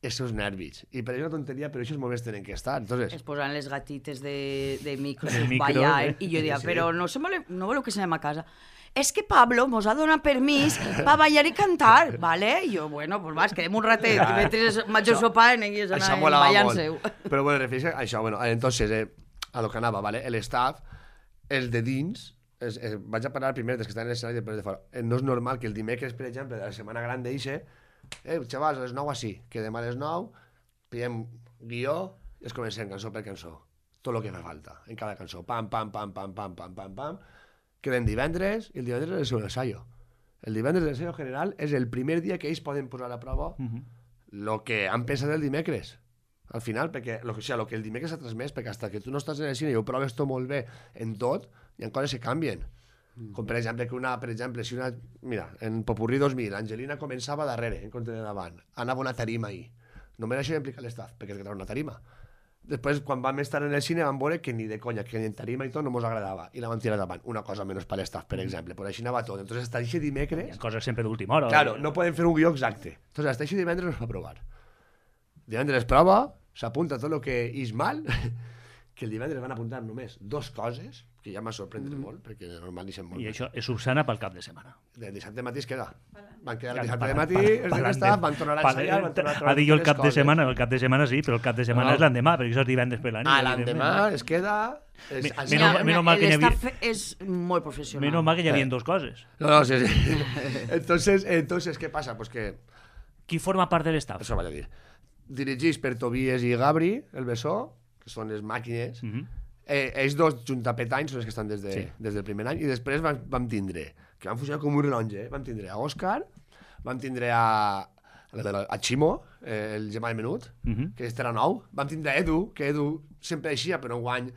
els seus nervis. I per això una tonteria, però aquests moments tenen que estar. Entonces, Es posaven les gatites de, de micros, De micro, ballar, eh? i jo deia, Sí. però no, se vole, no voleu que se anem a casa? És que Pablo mos ha donat permís per ballar i cantar, ¿vale? I jo, bueno, pues va, es quedem un ratet, i mentre major sopant, ells això anaven molava ballant molt. seu. Però bueno, refereix a això, bueno, entonces, eh, a lo que anava, ¿vale? El staff, els de dins, es, eh, vaig a parlar primer dels que estan en l'escenari i després de fora. Eh, no és normal que el dimecres, per exemple, de la setmana gran d'eixe, eh, xavals, a les nou així, quedem a les nou, pillem guió i es comencem cançó per cançó. Tot el que fa falta, en cada cançó. Pam, pam, pam, pam, pam, pam, pam, pam. Quedem divendres i el divendres és el seu ensayo. El divendres de l'ensayo general és el primer dia que ells poden posar a prova el que han pensat el dimecres. Al final, perquè lo que, o sigui, lo que el dimecres ha transmès, perquè hasta que tu no estàs en el cine i ho proves tot molt bé en tot, hi ha coses que canvien. Mm. Com per exemple, que una, per exemple, si una... Mira, en Popurrí dos mil, Angelina començava darrere, en compte de davant. Anava una tarima ahir. Només això implica l'estaf, perquè és que era una tarima. Després, quan vam estar en el cine, vam veure que ni de conya, que ni en tarima i tot no mos agradava. I la vam tirar davant. Una cosa menys per l'estaf, per exemple. Però així anava tot. Entonces, hasta aquest Hi dimecres... ha coses sempre d'última hora. Claro, no podem fer un guió exacte. Entonces, hasta aquest divendres no es va provar. Divendres prova, s'apunta tot el que és mal, que el divendres van apuntar només dos coses, que ja m'ha sorprès mm. molt, perquè de normal deixem molt. I això és subsana pel cap de setmana. De dissabte matí es queda. Van quedar el Ja, dissabte pa- de matí, pa- els de pa- l'estat, van tornar a pa- ensaiar, van tornar a Ha trobar dit jo el les cap de coses. setmana, el cap de setmana sí, però el cap de setmana No. és l'endemà, perquè això és divendres per la nit. Ah, l'endemà es queda... Es, Mi- es- menys- menys mal que n'hi havia- L'estaf és molt professional. Menys mal que hi havia Eh. dos coses. No, no, sí, sí. Entonces, entonces, ¿qué pasa? Pues que... Qui forma part de l'estaf? Això vaig a dir. Dirigits per Tobias i Gabri, el Bessó, que són les màquines. Mhm. eh, ells dos, junt a Petany, són els que estan des, de, Sí. des del primer any. I després vam, vam tindre, que van funcionar com un rellotge, eh? Vam tindre a Òscar, vam tindre a, a Ximo, eh, el gemà de Menut, Mhm. que este era nou. Vam tindre a Edu, que Edu sempre eixia, però enguany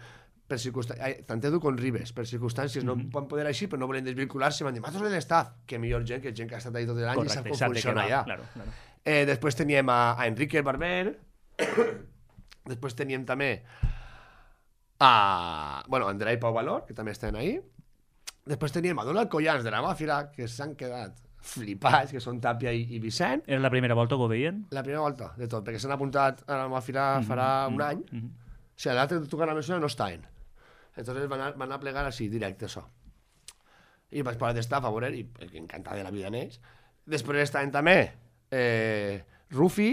per circumstàncies, tant Edu com Ribes, per circumstàncies, no van poder així, però no volen desvincular-se, m'han dit, nosaltres de l'estaf, que millor gent, que gent que ha estat ahí tot l'any i sap com funciona allà. Claro, claro. Eh, després teníem a, a Enrique Barber, després teníem també a, bueno, Andrea i Pau Valor, que també estan ahí, després teníem a Donald Collans de la Màfira, que s'han quedat flipats, que són Tàpia i, i Vicent. Era la primera volta que ho veien? La primera volta, de tot, perquè s'han apuntat a la Màfira farà mm -hmm. un any. Mm -hmm. O sigui, l'altre que toca la mesura no estaven. Entonces van a, van a plegar així, directe, això. I vaig parar d'estar a favor, i encantat de la vida en ells. Després estaven també eh, Rufi,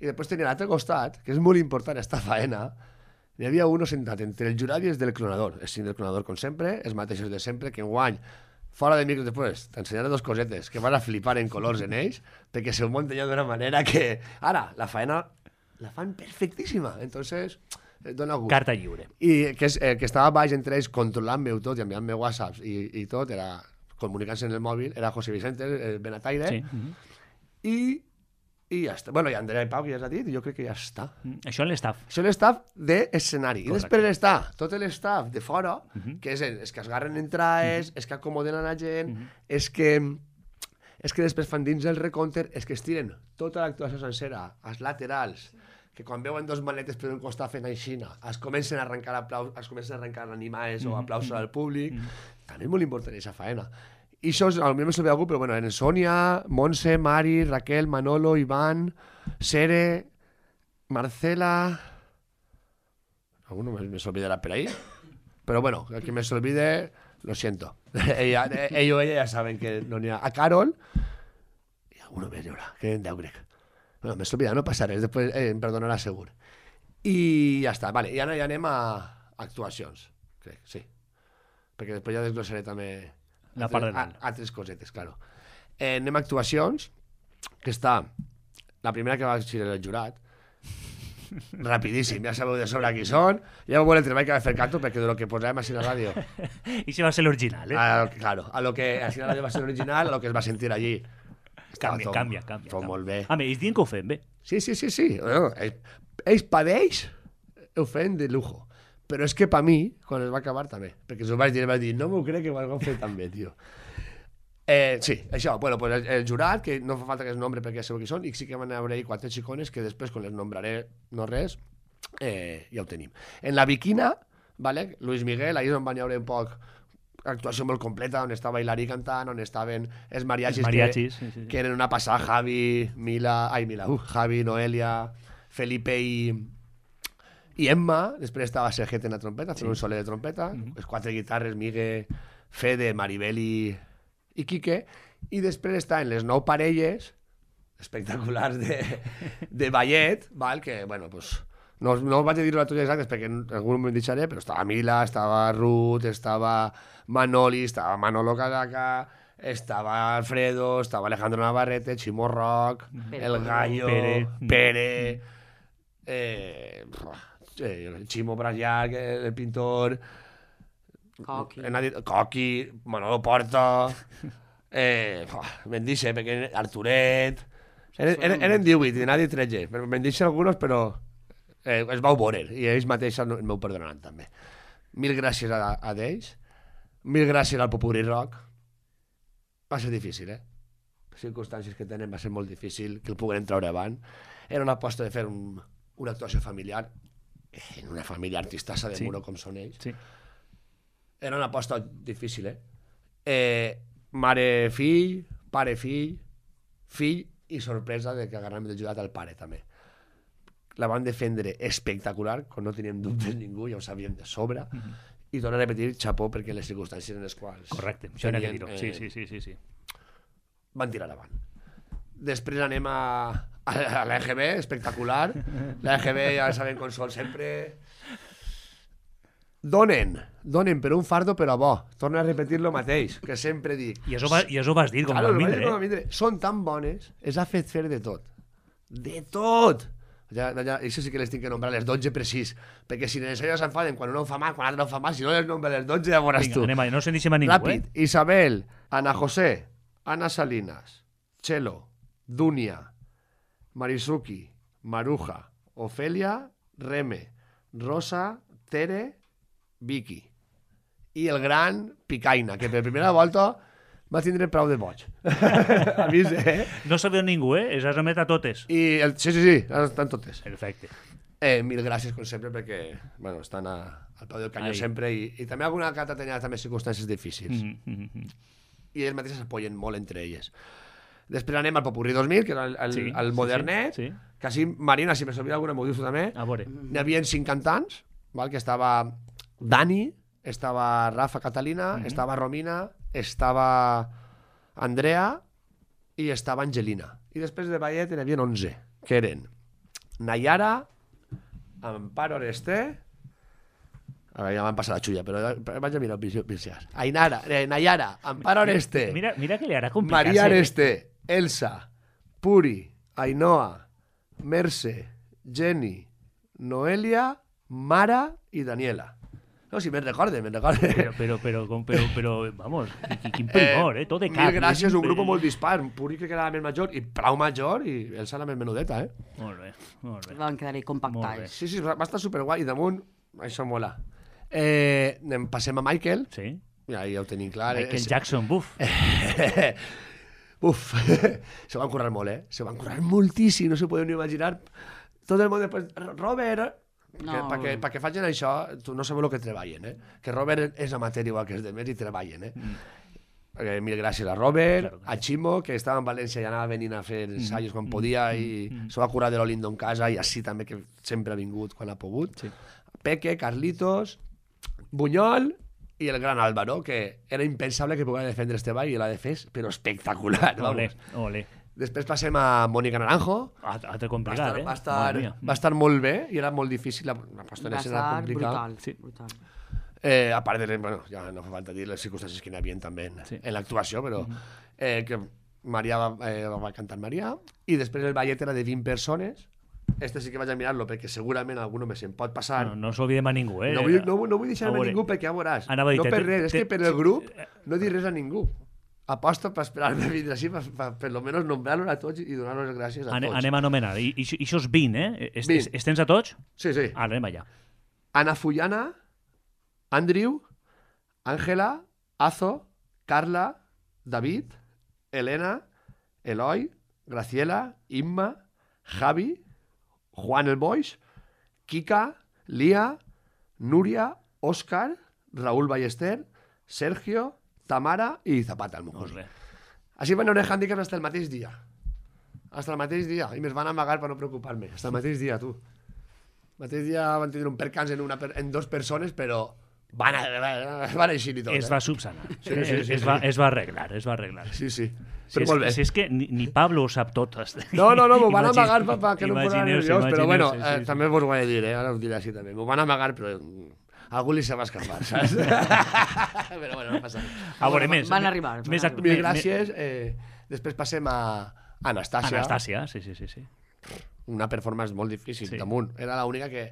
i després tenia l'altre costat, que és molt important, esta faena. Hi havia uno sentat entre el jurat i els del clonador. És del clonador, com sempre, els mateixos de sempre, que enguany, fora de micro després, t'ensenyaré dos cosetes que van a flipar en colors en ells, perquè se ho munten ja d'una manera que, ara, la faena la fan perfectíssima. Entonces, dona gust. Carta lliure. I que, és, eh, que estava baix entre ells controlant-me tot i enviant-me whatsapps i, i tot, era comunicant-se en el mòbil, era José Vicente, el Benataire, sí. uh-huh. i, i ja està. Bueno, i Andrea i Pau, que ja s'ha dit, jo crec que ja està. Mm, això és l'estaf. Això és l'estaf d'escenari. I després està tot l'estaf de fora, uh -huh. que és els que es garren entrades, uh -huh. els que acomoden a la gent, uh -huh. és que és que després fan dins el recompte, és que estiren tota l'actuació sencera, als laterals, que quan veuen dos maletes per un costat fent aixina, es comencen a arrencar aplaus, es comencen a arrencar animades mm -hmm. o aplausos al públic, mm -hmm. també és molt important aquesta faena. I això, potser no se ve algú, però bueno, en Sònia, Montse, Mari, Raquel, Manolo, Iván, Sere, Marcela... Alguno me, me s'olvidarà per ahí. Però bueno, el que me s'olvide, lo siento. ella, ell o ella ja saben que no n'hi ha. A Carol, i alguno més hi haurà, que en deu grec. Bueno, me s'olvida, no passa res, després eh, em perdonarà segur. I ja està, vale, i ara ja anem a actuacions, crec, sí. Perquè després ja desglossaré també la part de dalt. Altres cosetes, claro. Eh, anem a actuacions, que està la primera que va ser el jurat, rapidíssim, ja sabeu de sobre qui són, ja veu el treball que va fer Cato, perquè de lo que posàvem així a la ràdio. I si va ser l'original, eh? A, claro, a lo que així a la ràdio va ser l'original, a lo que es va sentir allí. Canvia, tot, canvia, canvia. Tot canvia. molt bé. A més, ells diuen que ho fem bé. Sí, sí, sí, sí. Bueno, ells, ells per ells ho feien de lujo. Però és que per mi, quan es va acabar també, perquè s'ho vaig dir, vaig dir, no m'ho crec que ho hagueu fet tan bé, tio. Eh, sí, això, bueno, pues el, el jurat, que no fa falta que es nombre perquè ja sabeu qui són, i sí que van haver quatre xicones que després, quan les nombraré, no res, eh, ja ho tenim. En la Biquina, vale, Luis Miguel, ahir on van haver un poc actuació molt completa, on estava Hilari cantant, on estaven els mariachis, els mariachis que, sí, sí, sí. que eren una passada, Javi, Mila, ai, Mila, uh, Javi, Noelia, Felipe i, i Emma, després estava Sergete en la trompeta, fent sí. un soler de trompeta, mm -hmm. les quatre guitarres, Migue, Fede, Maribel i, i Quique, i després estaven les nou parelles espectaculars de, de ballet, val? Que, bueno, pues, no, no us vaig a dir les totes exactes perquè algun m'ho deixaré, però estava Mila, estava Ruth, estava Manoli, estava Manolo Casaca, estava Alfredo, estava Alejandro Navarrete, Chimo Rock, Pere, El Gallo, Pere, Pere eh, eh, Chimo Brasllach, el pintor, Coqui, Coqui, Manolo Porta, eh, me'n deixe, perquè Arturet, eren, eren, eren divuit, i n'ha tretze, me'n deixe alguns, però eh, es vau veure, i ells mateixos no, m'ho perdonaran també. Mil gràcies a, a ells, mil gràcies al Popurrí Rock. Va ser difícil, eh? Les circumstàncies que tenen va ser molt difícil que el puguem treure avant. Era una aposta de fer un, una actuació familiar, en una família artistassa de sí. Muro com són ells. Sí. Era una aposta difícil, eh? eh Mare-fill, pare-fill, fill i sorpresa de que agarrem ajudat al pare també. La van defendre espectacular, quan no teníem dubtes ningú, ja ho sabíem de sobre, mm -hmm. i torno a repetir, xapó, perquè les circumstàncies en les quals... Correcte, això n'hi ha que dir-ho, sí, sí, sí, sí, sí. Van tirar avant. Després anem a, a, a l'E G B, espectacular. L'E G B ja saben com són sempre... Donen, donen per un fardo però bo. Torno a repetir lo mateix, que sempre dic. I això, va, i això ho vas dir com claro, a mindre, eh? Mindre. Són tan bones, es ha fet fer de tot. De tot! Ja, ja, això sí que les tinc que nombrar les dotze precís, perquè si en això s'enfaden quan uno ho fa mal, quan l'altre no ho fa mal, si no les nombra les dotze ja veuràs tu. Anem, no se'n deixem a ningú, Ràpid. eh? Isabel, Ana José, Ana Salinas, Chelo, Dunia, Marisuki, Maruja, Ofelia, Reme, Rosa, Tere Vicky i el gran Picaina, que per primera volta va tindre prou de boig. Avisa, eh? No sabeu ningú, eh? Es has remet a totes. I el... Sí, sí, sí, estan totes. Perfecte. Eh, mil gràcies, com sempre, perquè bueno, estan a, al peu del canyó Ai. sempre i, i també alguna que ha tenido també circumstàncies difícils. Mm -hmm. I elles mateixes s'apoyen molt entre elles. Després anem al Popurrí dos mil, que era el, el, Sí, el modernet, sí, sí. que així, Marina, si me s'olvida alguna, m'ho dius tu també. A veure. N'hi havia cinc cantants, val? Que estava Dani, estava Rafa Catalina, Mhm. estava Romina, estava Andrea i estava Angelina. I després de ballet n'hi havia onze, que eren Nayara, Amparo Oreste... A veure, ja m'han passat la xulla, però vaig a mirar el Vilciàs. Ainara, eh, Nayara, Amparo Oreste, Mira, mira que li harà complicar-se. Maria Areste, Elsa, Puri, Ainhoa, Merce, Jenny, Noelia, Mara i Daniela. No, si me'n recorde, me'n recorde. Però, però, però, com, però, però, vamos, quin, quin primor, eh? Tot de cap. Mil gràcies, un grup molt dispar. Puri crec que era la més major i prou major i Elsa la més menudeta, eh? Molt bé, molt bé. Van quedar-hi compactats. Sí, sí, va estar superguai i damunt, això mola. Eh, anem, passem a Michael. Sí. Ja, ja ho tenim clar. Michael És- Jackson, buf. Uf, se van currar molt, eh? Se van currar moltíssim, no se podeu ni imaginar. Tot el món després... Robert... No. No. Perquè, perquè facin això, tu no sabeu el que treballen, eh? Que Robert és amateur igual que els demés i treballen, eh? Mm. Perquè, mil gràcies a Robert, Claro, claro. a Ximo, que estava en València i anava venint a fer ensaios quan podia i s'ho va curar de lo lindo en casa i així també que sempre ha vingut quan ha pogut. Sí. Peque, Carlitos, Buñol i el gran Álvaro, que era impensable que pogués defendre este ball i l'ha defès, però espectacular. Ole, Vamos. ole. Després passem a Mónica Naranjo. Altre altre Va complicat, estar, eh? va, estar, Madre mía. va estar molt bé i era molt difícil. La, la Va postonesa era estar complicada. brutal, Sí. brutal. Eh, a part de, bueno, ja no fa falta dir les circumstàncies que n'hi havia també en, Sí. en l'actuació, però eh, que Maria va, eh, va cantar Maria i després el ballet era de vint persones. Este sí que vaig a mirar-lo perquè segurament algú només se'n pot passar. No, no s'oblidem a ningú, eh? No vull, no, no vull deixar-me A veure. ningú perquè ja veuràs. Anava a dir, no te- per te- res, és te- que per el grup no dir res a ningú. Aposto per esperar-me a vindre així, per, per, per lo menos nombrar-los a tots i donar-los les gràcies a Ane, tots. anem a anomenar. I, i, i això és vint, eh? Es, vint. es, es tens a tots? Sí, sí. Ara, anem allà. Ana Fullana, Andrew, Ángela, Azo, Carla, David, Elena, Eloy, Graciela, Imma, Javi, Juan el Boix, Kika, Lía, Núria, Òscar, Raúl Ballester, Sergio, Tamara i Zapata, el Molt mejor. bé. Així van haver hàndicaps hasta el mateix dia. Hasta el mateix dia. I me'ls van amagar per no preocupar-me. Hasta el mateix dia, tu. El mateix dia van tindre un percans en, una, per- en dos persones, però van, a, van eixir i tot. Es eh? va subsanar. Sí, sí, sí, es, sí. va, es va arreglar, es va arreglar. Sí, sí. Si Però és, molt bé. si és que ni, ni Pablo ho sap tot. No, no, no, m'ho van Imagine- amagar per, per que no em posara imagineu-se, nerviós, però bueno, imagineu-se, eh, sí, sí. també vos ho he de dir, eh? Ara ho diré així també. M'ho van amagar, però mm, a algú li se va escapar, saps? però bueno, no passa res. A veure, més. Van arribar, van Més, arribar. Mil me- gràcies. Eh, després passem a Anastàcia. Anastàcia, sí, sí, sí. sí. Una performance molt difícil, Sí. damunt. Era l'única que,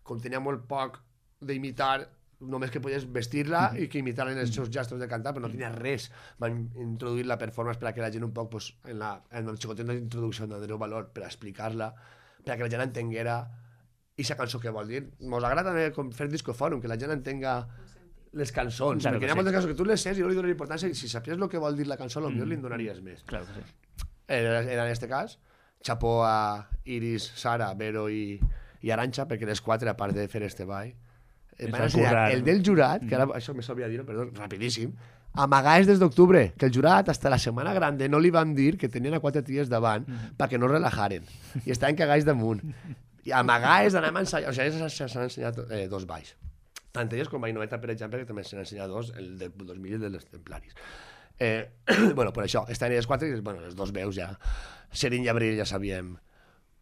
com tenia molt poc d'imitar, només que podies vestir-la i que imitaren els seus gestos de cantar, però no tenia res. Van introduir la performance per a que la gent un poc, pues, en, la, en el xicotet d'introducció d'Andreu Valor, per a explicar-la, per a que la gent entenguera aquesta cançó que vol dir. Mos agrada també com fer discofòrum, que la gent entenga les cançons, Claro perquè que hi ha sí. moltes cançons que tu les sents i no li dones importància, i si sapies el que vol dir la cançó, potser li en donaries més. Claro que sí. Era, era en este cas. Chapó a Iris, Sara, Vero i, i Aranxa, perquè les quatre, a part de fer este ball, eh, Es van van ensenyar currar. el del jurat, que ara això me s'hauria de dir, perdó, rapidíssim, amagades des d'octubre, que el jurat, hasta la setmana grande, no li van dir que tenien a quatre ties davant perquè no relajaren, i estaven cagats damunt. I amagades d'anar a ensaiar, o sigui, s'han ensenyat eh, dos balls. Tant elles com Mainoveta, per exemple, que també s'han ensenyat dos, el del dos mil i el dels templaris. Eh, bueno, per això, estaven elles quatre i bueno, les dos veus ja, Serín i Abril ja sabíem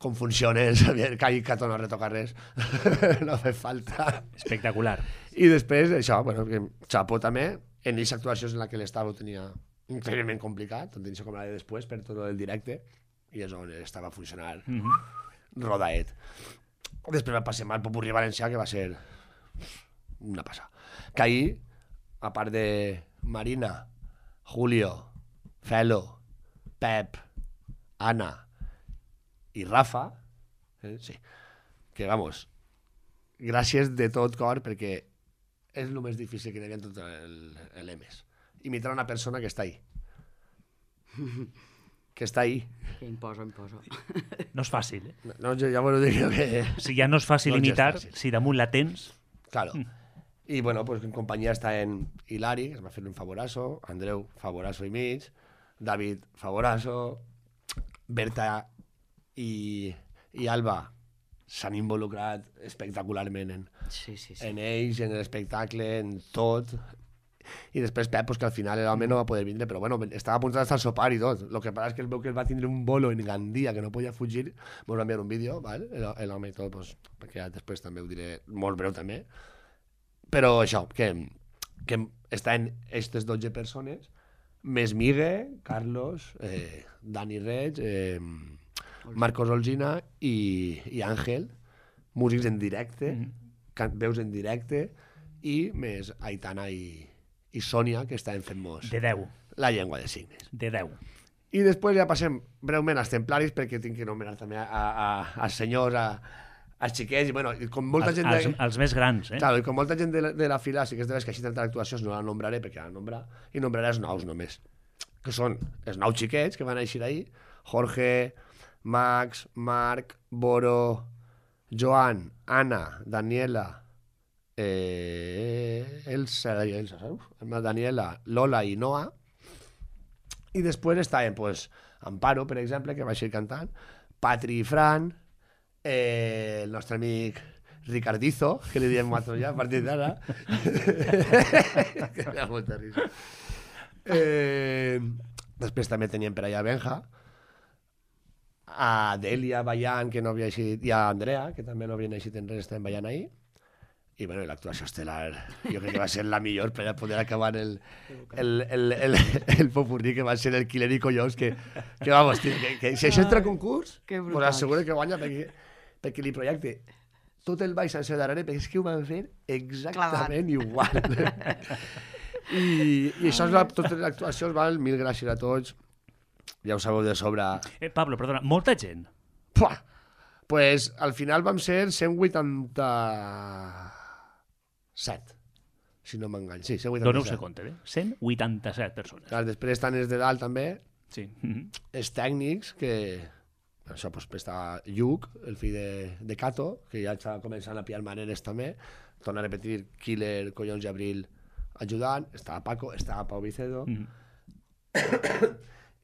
com funciona, sabíem que ahir Cato no retoca res, no fa falta. Espectacular. I després, això, bueno, que Chapo també, en aquestes actuacions en la que l'estava ho tenia increïblement complicat, tant d'inici com la de després, per tot el directe, i és on estava funcionant Mm -hmm. rodaet. Després va passar al Popurrí Valencià, que va ser una passada. Que ahir, a part de Marina, Julio, Felo, Pep, Ana i Rafa, eh, sí, que vamos, gràcies de tot cor perquè és el més difícil que hi havia en tot l'E M E S. Imitar una persona que està ahí. Que està ahí. Que imposa, imposa. No és fàcil, eh? No, no, ja vos ho dic que... Si ja no és fàcil No, ja és imitar, fàcil. si damunt la tens... Claro. I, bueno, pues en companyia està en Hilari, que es va fer un favorazo, Andreu, favorazo i mig, David, favorazo, Berta i, i Alba s'han involucrat espectacularment en, Sí, sí, sí. en ells, en l'espectacle, en tot. I després Pep, pues, que al final l'home no va poder vindre, però bueno, estava a punt d'estar al sopar i tot. El que passa és que el veu que el va tindre un bolo en Gandia, que no podia fugir, ens va enviar un vídeo, ¿vale? l'home i tot, pues, perquè ja després també ho diré molt breu també. Però això, que, que estan aquestes dotze persones, més Migue, Carlos, eh, Dani Reig, eh, Marcos Olgina i, i Àngel, músics en directe, mm. veus en directe, i més Aitana i, i Sònia, que estaven fent-nos De deu. la llengua de signes. De deu. I després ja passem breument als templaris, perquè tinc que anomenar també a, a, als senyors, a, als xiquets, i bueno, i com molta Els, gent... De... els, els més grans, eh? Claro, i com molta gent de la, de la fila, sí que és de les que així tanta actuacions, no la nombraré perquè la nombra, i nombraré els nous només, que són els nou xiquets que van eixir ahir, Jorge, Max, Marc, Boro, Joan, Anna, Daniela, eh, Elsa, Elsa, saps? Daniela, Lola i Noa, i després estaven, pues, Amparo, per exemple, que va ser cantant, Patri i Fran, eh, el nostre amic Ricardizo, que li diem quatre ja a partir d'ara, que me da molta risa. Eh, després també teníem per allà Benja, a Delia, Bayan, que no havia eixit, i a Andrea, que també no havien eixit en res, estaven ballant ahir. I bueno, l'actuació estel·lar, jo crec que va ser la millor per a poder acabar el, el, el, el, el popurrí, que va ser el Killer i Collons, que, que vamos, que, que, que si això entra a concurs, pues asseguro que guanya, perquè, perquè li projecte tot el ball sencer darrere, perquè és que ho van fer exactament igual. I, i això és la, totes les actuacions, val? Mil gràcies a tots. Ja ho sabeu de sobre. Eh, Pablo, perdona, molta gent. Puah! Pues al final vam ser cent vuitanta set, si no m'engany. Sí, cent vuitanta set. Doneu-se compte, eh? cent vuitanta-set persones. Clar, després estan els de dalt també, Sí. els tècnics, que això pues, està Lluc, el fill de, de Cato, que ja està començant a pillar maneres també. Torna a repetir, Killer, Collons i Abril ajudant, estava Paco, estava Pau Vicedo, Mm.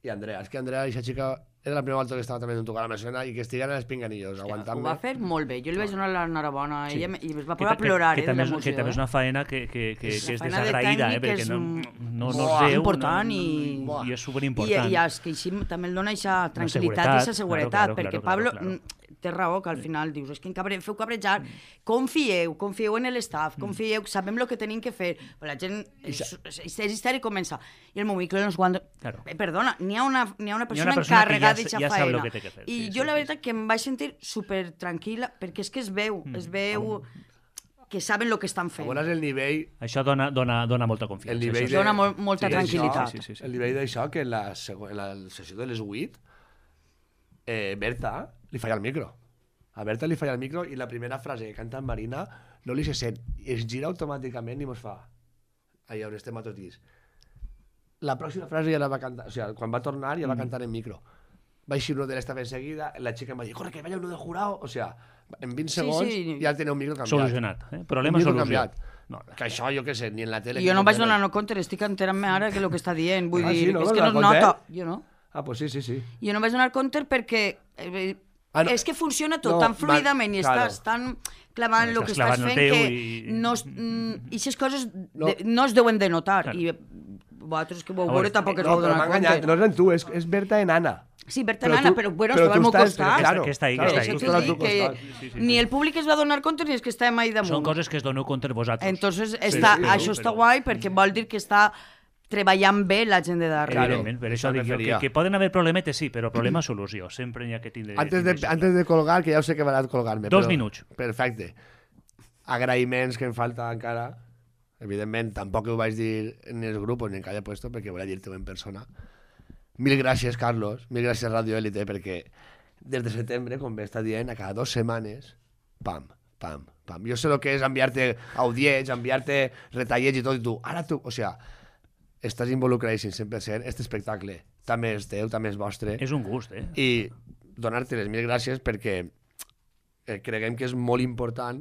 i Andrea. És que Andrea, aquesta xica, era la primera volta que estava també en un tocar a la Messena i que estiguen els pinganillos, Ho aguantant-me. va fer molt bé. Jo li vaig donar l'enhorabona a Sí. ella i es va Que, posar a plorar, que, eh, que, també és, d'emoció. que també és eh? una faena que, que, que, És que és una feina de desagraïda, eh? tècnic, Perquè és no, un- no, no Buah, es veu. important no, i- no, i és I, superimportant. i als que així també el dona aquesta tranquil·litat i seguretat, aquesta seguretat, claro, claro, perquè claro, Pablo claro. mm, té raó, que al final dius, és que em cabre, feu cabrejar, confieu, confieu en l'estaf, confieu, sabem el que tenim que fer. Però la gent és, és, és histèric i comença. I el Movicle no és quan... Claro. Eh, perdona, n'hi ha una, n'hi ha una persona, una persona que encarregada ja- d'aquesta ja sap feina. lo que té que fer, I sí, jo sí, la sí, veritat que em vaig sentir super tranquil·la, perquè és que es veu, es veu que saben el que estan fent. Veuràs el nivell, Això dona, dona, dona molta confiança. el nivell això de... Dona mol- molta Sí, tranquil·litat. sí, sí, sí, sí. El nivell d'això, que en la, segu- en la sessió de les vuit, eh, Berta li falla el micro. A Berta li falla el micro i la primera frase que canta en Marina no li se sent. I es gira automàticament i mos fa allà on estem a tot dins. La pròxima frase ja la va cantar, o sigui, quan va tornar ja va cantar en micro. Va eixir uno de l'estava enseguida, la xica em va dir, corre, que vaya uno de jurado. O sigui, en vint Sí, segons sí. ja tenia un micro canviat. Solucionat. Eh? Problema Un micro solucionat. canviat. No, Que això, jo què sé, ni en la tele... I jo ni no en em vaig tele. donar no compte, estic enterant-me ara que el que està dient. Vull Ah, sí, dir, no? és que La no es conté? nota. Jo no. Ah, pues sí, sí, sí. Jo no em vaig donar compte perquè eh, Ah, no. és que funciona tot No, tan va- fluidament i claro. estàs tan clavant el Estàs que estàs clavant el fent teu que i- no, es- mm, i aquestes coses No. de, no es deuen de notar. Claro. I eh, vosaltres que vau A veure veure, tampoc es No, vau però donar m'ha enganyat, compte. no és en tu, és, és Berta en Anna. Sí, Berta Però Nana, tu- però bueno, però estava al tu meu estàs- costat. claro, que està ahí, claro, que està Això ahí. tu que estàs us al dic, teu que costat. Sí, sí, sí. ni el públic es va donar compte ni els que estàvem ahí damunt. Són coses que es doneu compte vosaltres. Entonces, està, sí, això però- està guai perquè vol dir que està treballant bé la gent de darrere. Claro. Evidentment, per això Això dic jo referia. que, que poden haver problemetes, sí, però problema-solució. Sempre n'hi ha que tindre... Antes de, tindre antes de colgar, que ja ho sé que m'ha de colgar-me. Dos però- minuts. Perfecte. Agraïments que em falta encara. Evidentment, tampoc ho vaig dir en els grups ni en cada puesto, perquè volia dir-te en persona. Mil gràcies, Carlos. Mil gràcies, Radio Élite, perquè des de setembre, com bé està dient, a cada dues setmanes, pam, pam, Pam. Jo sé el que és enviar-te audients, enviar-te retallets i tot, i tu, ara tu, o sigui, estàs involucradíssim cent per cent, aquest espectacle també és teu, també és vostre. És un gust, eh? I donar-te les mil gràcies perquè eh, creguem que és molt important,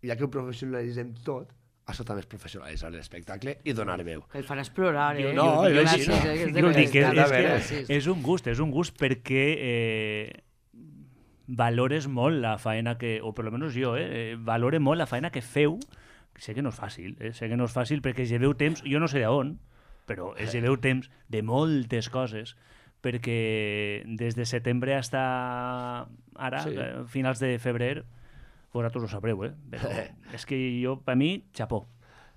ja que ho professionalitzem tot, això també és professionalitzar l'espectacle i donar veu. El farà explorar, eh? No, jo, jo, jo, jo, jo, jo, jo dic que és, que, és, és un gust, és un gust perquè eh, valores molt la faena que, o per almenys jo, eh, valore molt la faena que feu. Sé que no és fàcil, eh? sé que no és fàcil perquè lleveu temps, jo no sé d'on, però es lleveu temps de moltes coses, perquè des de setembre fins ara, sí. eh, finals de febrer, vosaltres ho sabreu, eh? Però és que jo, per mi, xapó.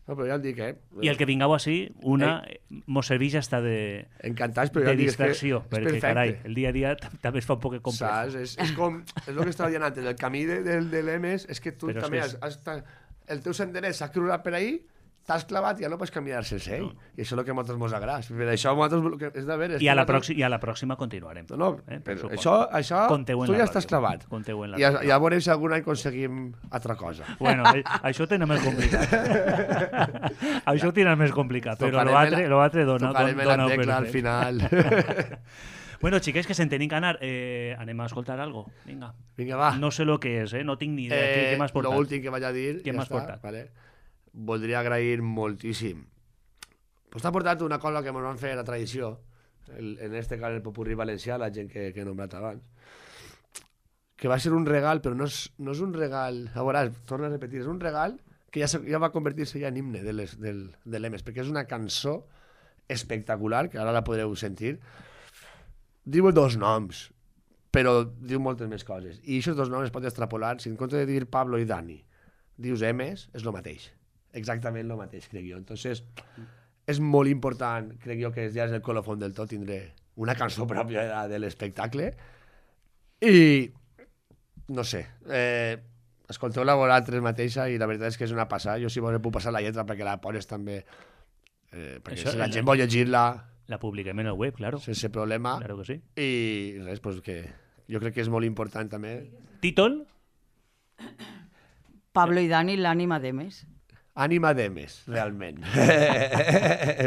No, però ja et dic, eh? I el que vingueu així, una, eh. mos serveix hasta de, encantats, però de ja dic, distracció, és, que és perquè, perfecte. carai, el dia a dia també es fa un poc complex. Saps? És, és com, és el que estava dient antes, el camí de, de, de l'E M E S és que tu Però també és que has, has, el teu senderet s'ha crurat per ahir, t'has clavat i ja no pots caminar sense ell. No. I això és el que a nosaltres mos agrada. Per això a nosaltres és de veure... I a la, nosaltres... I a la pròxima continuarem. No, no, eh, però això, això tu ja estàs clavat. Conteu en la I ja, ja veurem si algun any aconseguim altra cosa. Bueno, això ho tenen més complicat. Això ho tenen més complicat, però l'altre dona, tocarem dona la tecla al final. Bueno, xiquets, que se'n tenim que anar. Eh, anem a escoltar algo. Vinga. Vinga, va. No sé lo que és, eh? No tinc ni idea. Eh, què què m'has portat? L'últim que vaig a dir, què ja m'has està, portat? Vale. Voldria agrair moltíssim. Pues t'ha portat una cosa que ens van fer a la tradició, el, en este cas el popurrí valencià, la gent que, que he nombrat abans, que va ser un regal, però no és, no és un regal, a veure, torno a repetir, és un regal que ja, ja va convertir-se ja en himne de l'E M E S, perquè és una cançó espectacular, que ara la podreu sentir. Diu dos noms, però diu moltes més coses. I aquests dos noms es pot extrapolar, si en compte de dir Pablo i Dani, dius E M E S, és el mateix. Exactament el mateix, crec jo. Entonces, és molt important, crec jo, que ja és el colofon del tot, tindré una cançó pròpia de, de l'espectacle. I, no sé, eh, escolteu-la vosaltres mateixa i la veritat és que és una passada. Jo si vols puc passar la lletra perquè la pones també, eh, perquè això, si la gent vol llegir-la... La publiquem en el web, claro. Sense problema. Claro que sí. I res, pues que jo crec que és molt important també. Títol? Pablo i Dani, l'ànima d'E M E S. Ànima d'E M E S, realment.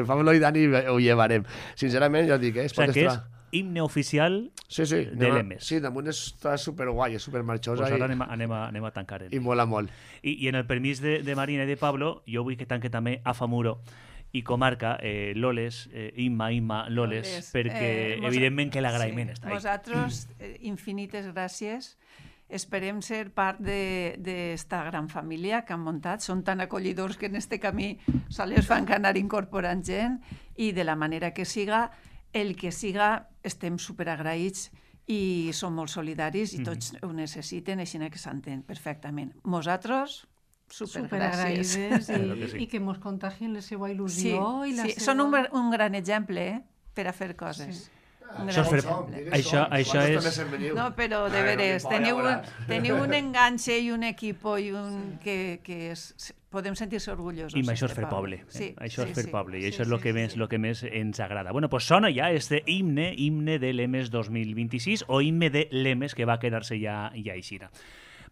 Pablo i Dani ho llevarem. Sincerament, ja dic, eh? O sigui que és himne oficial sí, sí, de l'E M E S. Sí, damunt està superguai, és supermarxosa. Pues ara i... anem, a, anem, a, anem a tancar. I mola molt. I, I en el permís de, de Marina i de Pablo, jo vull que tanque també a Famuro i comarca, eh, Loles, eh, Imma, Imma, Loles, Loles. perquè eh, evidentment que l'agraïment sí, està ahí. Vosaltres, eh, infinites gràcies. Esperem ser part d'esta gran família que han muntat. Són tan acollidors que en este camí sols fan que anar incorporant gent i de la manera que siga, el que siga, estem superagraïts i som molt solidaris i tots ho necessiten, així que s'entén perfectament. Nosaltres, supergràcies. Superagraïdes i, claro que sí. I que mos contagien la seva il·lusió. Sí, i la sí. seva... Són un, un gran exemple eh, per a fer coses. Sí. Això, fer... això, això és... No, però de veres, teniu, teniu un enganxe i un equip i un... que, que és... podem sentir-se orgullosos. I això és fer poble. Eh? Sí, això sí, és fer sí, poble i sí, això és el sí, que, sí, més, sí. lo que més ens agrada. Bueno, pues sona ja este himne, himne de l'E M E S dos mil vint-i-sis o himne de l'E M E S que va quedar-se ja, ja aixina.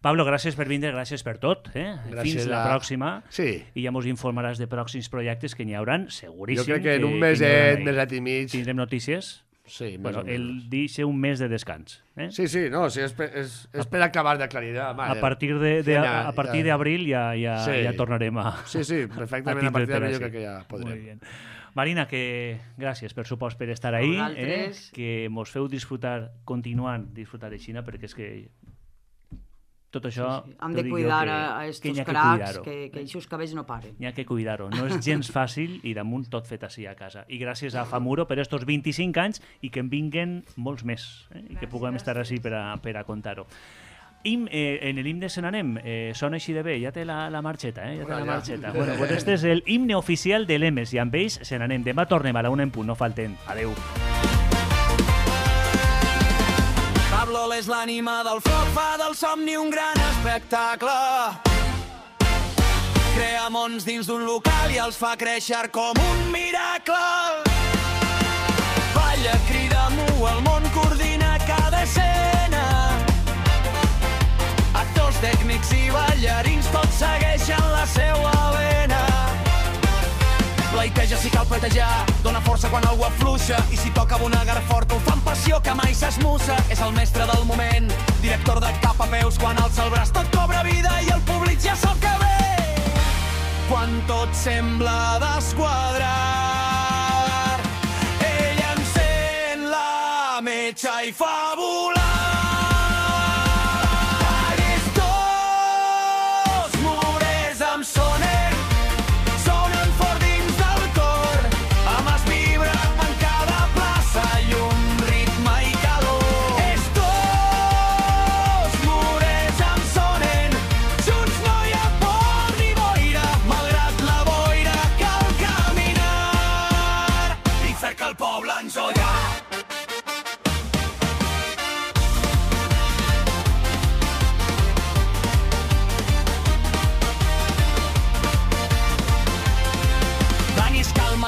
Pablo, gràcies per vindre, gràcies per tot. Eh? Fins la a... pròxima. Sí. I ja mos informaràs de pròxims projectes que n'hi hauran, seguríssim. Jo crec que en un meset, meset i mig... Tindrem notícies. Sí, bueno, el dice un mes de descans. ¿eh? Sí, sí, no, sí, és, per, és, és per acabar d'aclarir. A partir de, de, a, a partir d'abril ja, ja, sí. ja tornarem a... Sí, sí, perfectament, a, a partir d'abril jo crec que ja podrem. Muy bien. Marina, que gràcies per supost per estar ahí, eh? Que mos feu disfrutar, continuant disfrutar de Xina, perquè és que tot això... Sí, sí. Hem de cuidar que, a estos que cracs, que, que aquests cabells no paren. N'hi ha que cuidar-ho. No és gens fàcil i damunt tot fet així a casa. I gràcies a Famuro per estos vint-i-cinc anys i que en vinguen molts més eh? I que puguem estar així per a, per a contar-ho. Im, eh, en l'himne se n'anem, eh, sona així de bé, ja té la, la marxeta, eh? Ja té la marxeta. Bueno, pues este és el himne oficial de l'E M E S i amb ells se n'anem. Demà tornem a la una en punt, no falten. Adeu. Pablo és l'ànima del foc, fa del somni un gran espectacle. Crea mons dins d'un local i els fa créixer com un miracle. Balla, crida, mu, el món coordina cada escena. Actors, tècnics i ballarins petejar, dona força quan algú afluixa, i si toca abonegar fort el fa amb passió que mai s'esmussa. És el mestre del moment, director de cap a peus, quan alça el braç tot cobra vida i el públic ja sap que ve. Quan tot sembla desquadrar, ell encén la metxa i fa volar.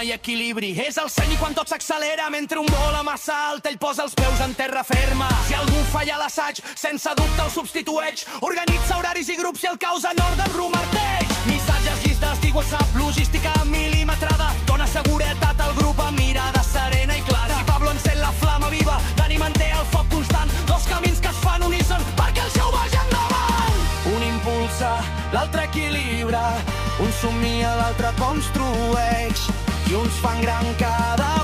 I equilibri, és el seny i quan tot s'accelera mentre un vola massa alt ell posa els peus en terra ferma. Si algú falla l'assaig, sense dubte el substitueix, organitza horaris i grups i el caos en ordre remarteix. Missatges, llistes d'I WhatsApp, logística mil·limetrada, dona seguretat al grup amb mirada serena i clara. Si Pablo encén la flama viva, Dani manté el foc constant, dos camins que es fan uníson perquè el show vagi endavant. Un impulsa, l'altre equilibra, un somnia, l'altre construeix, i uns fan gran cada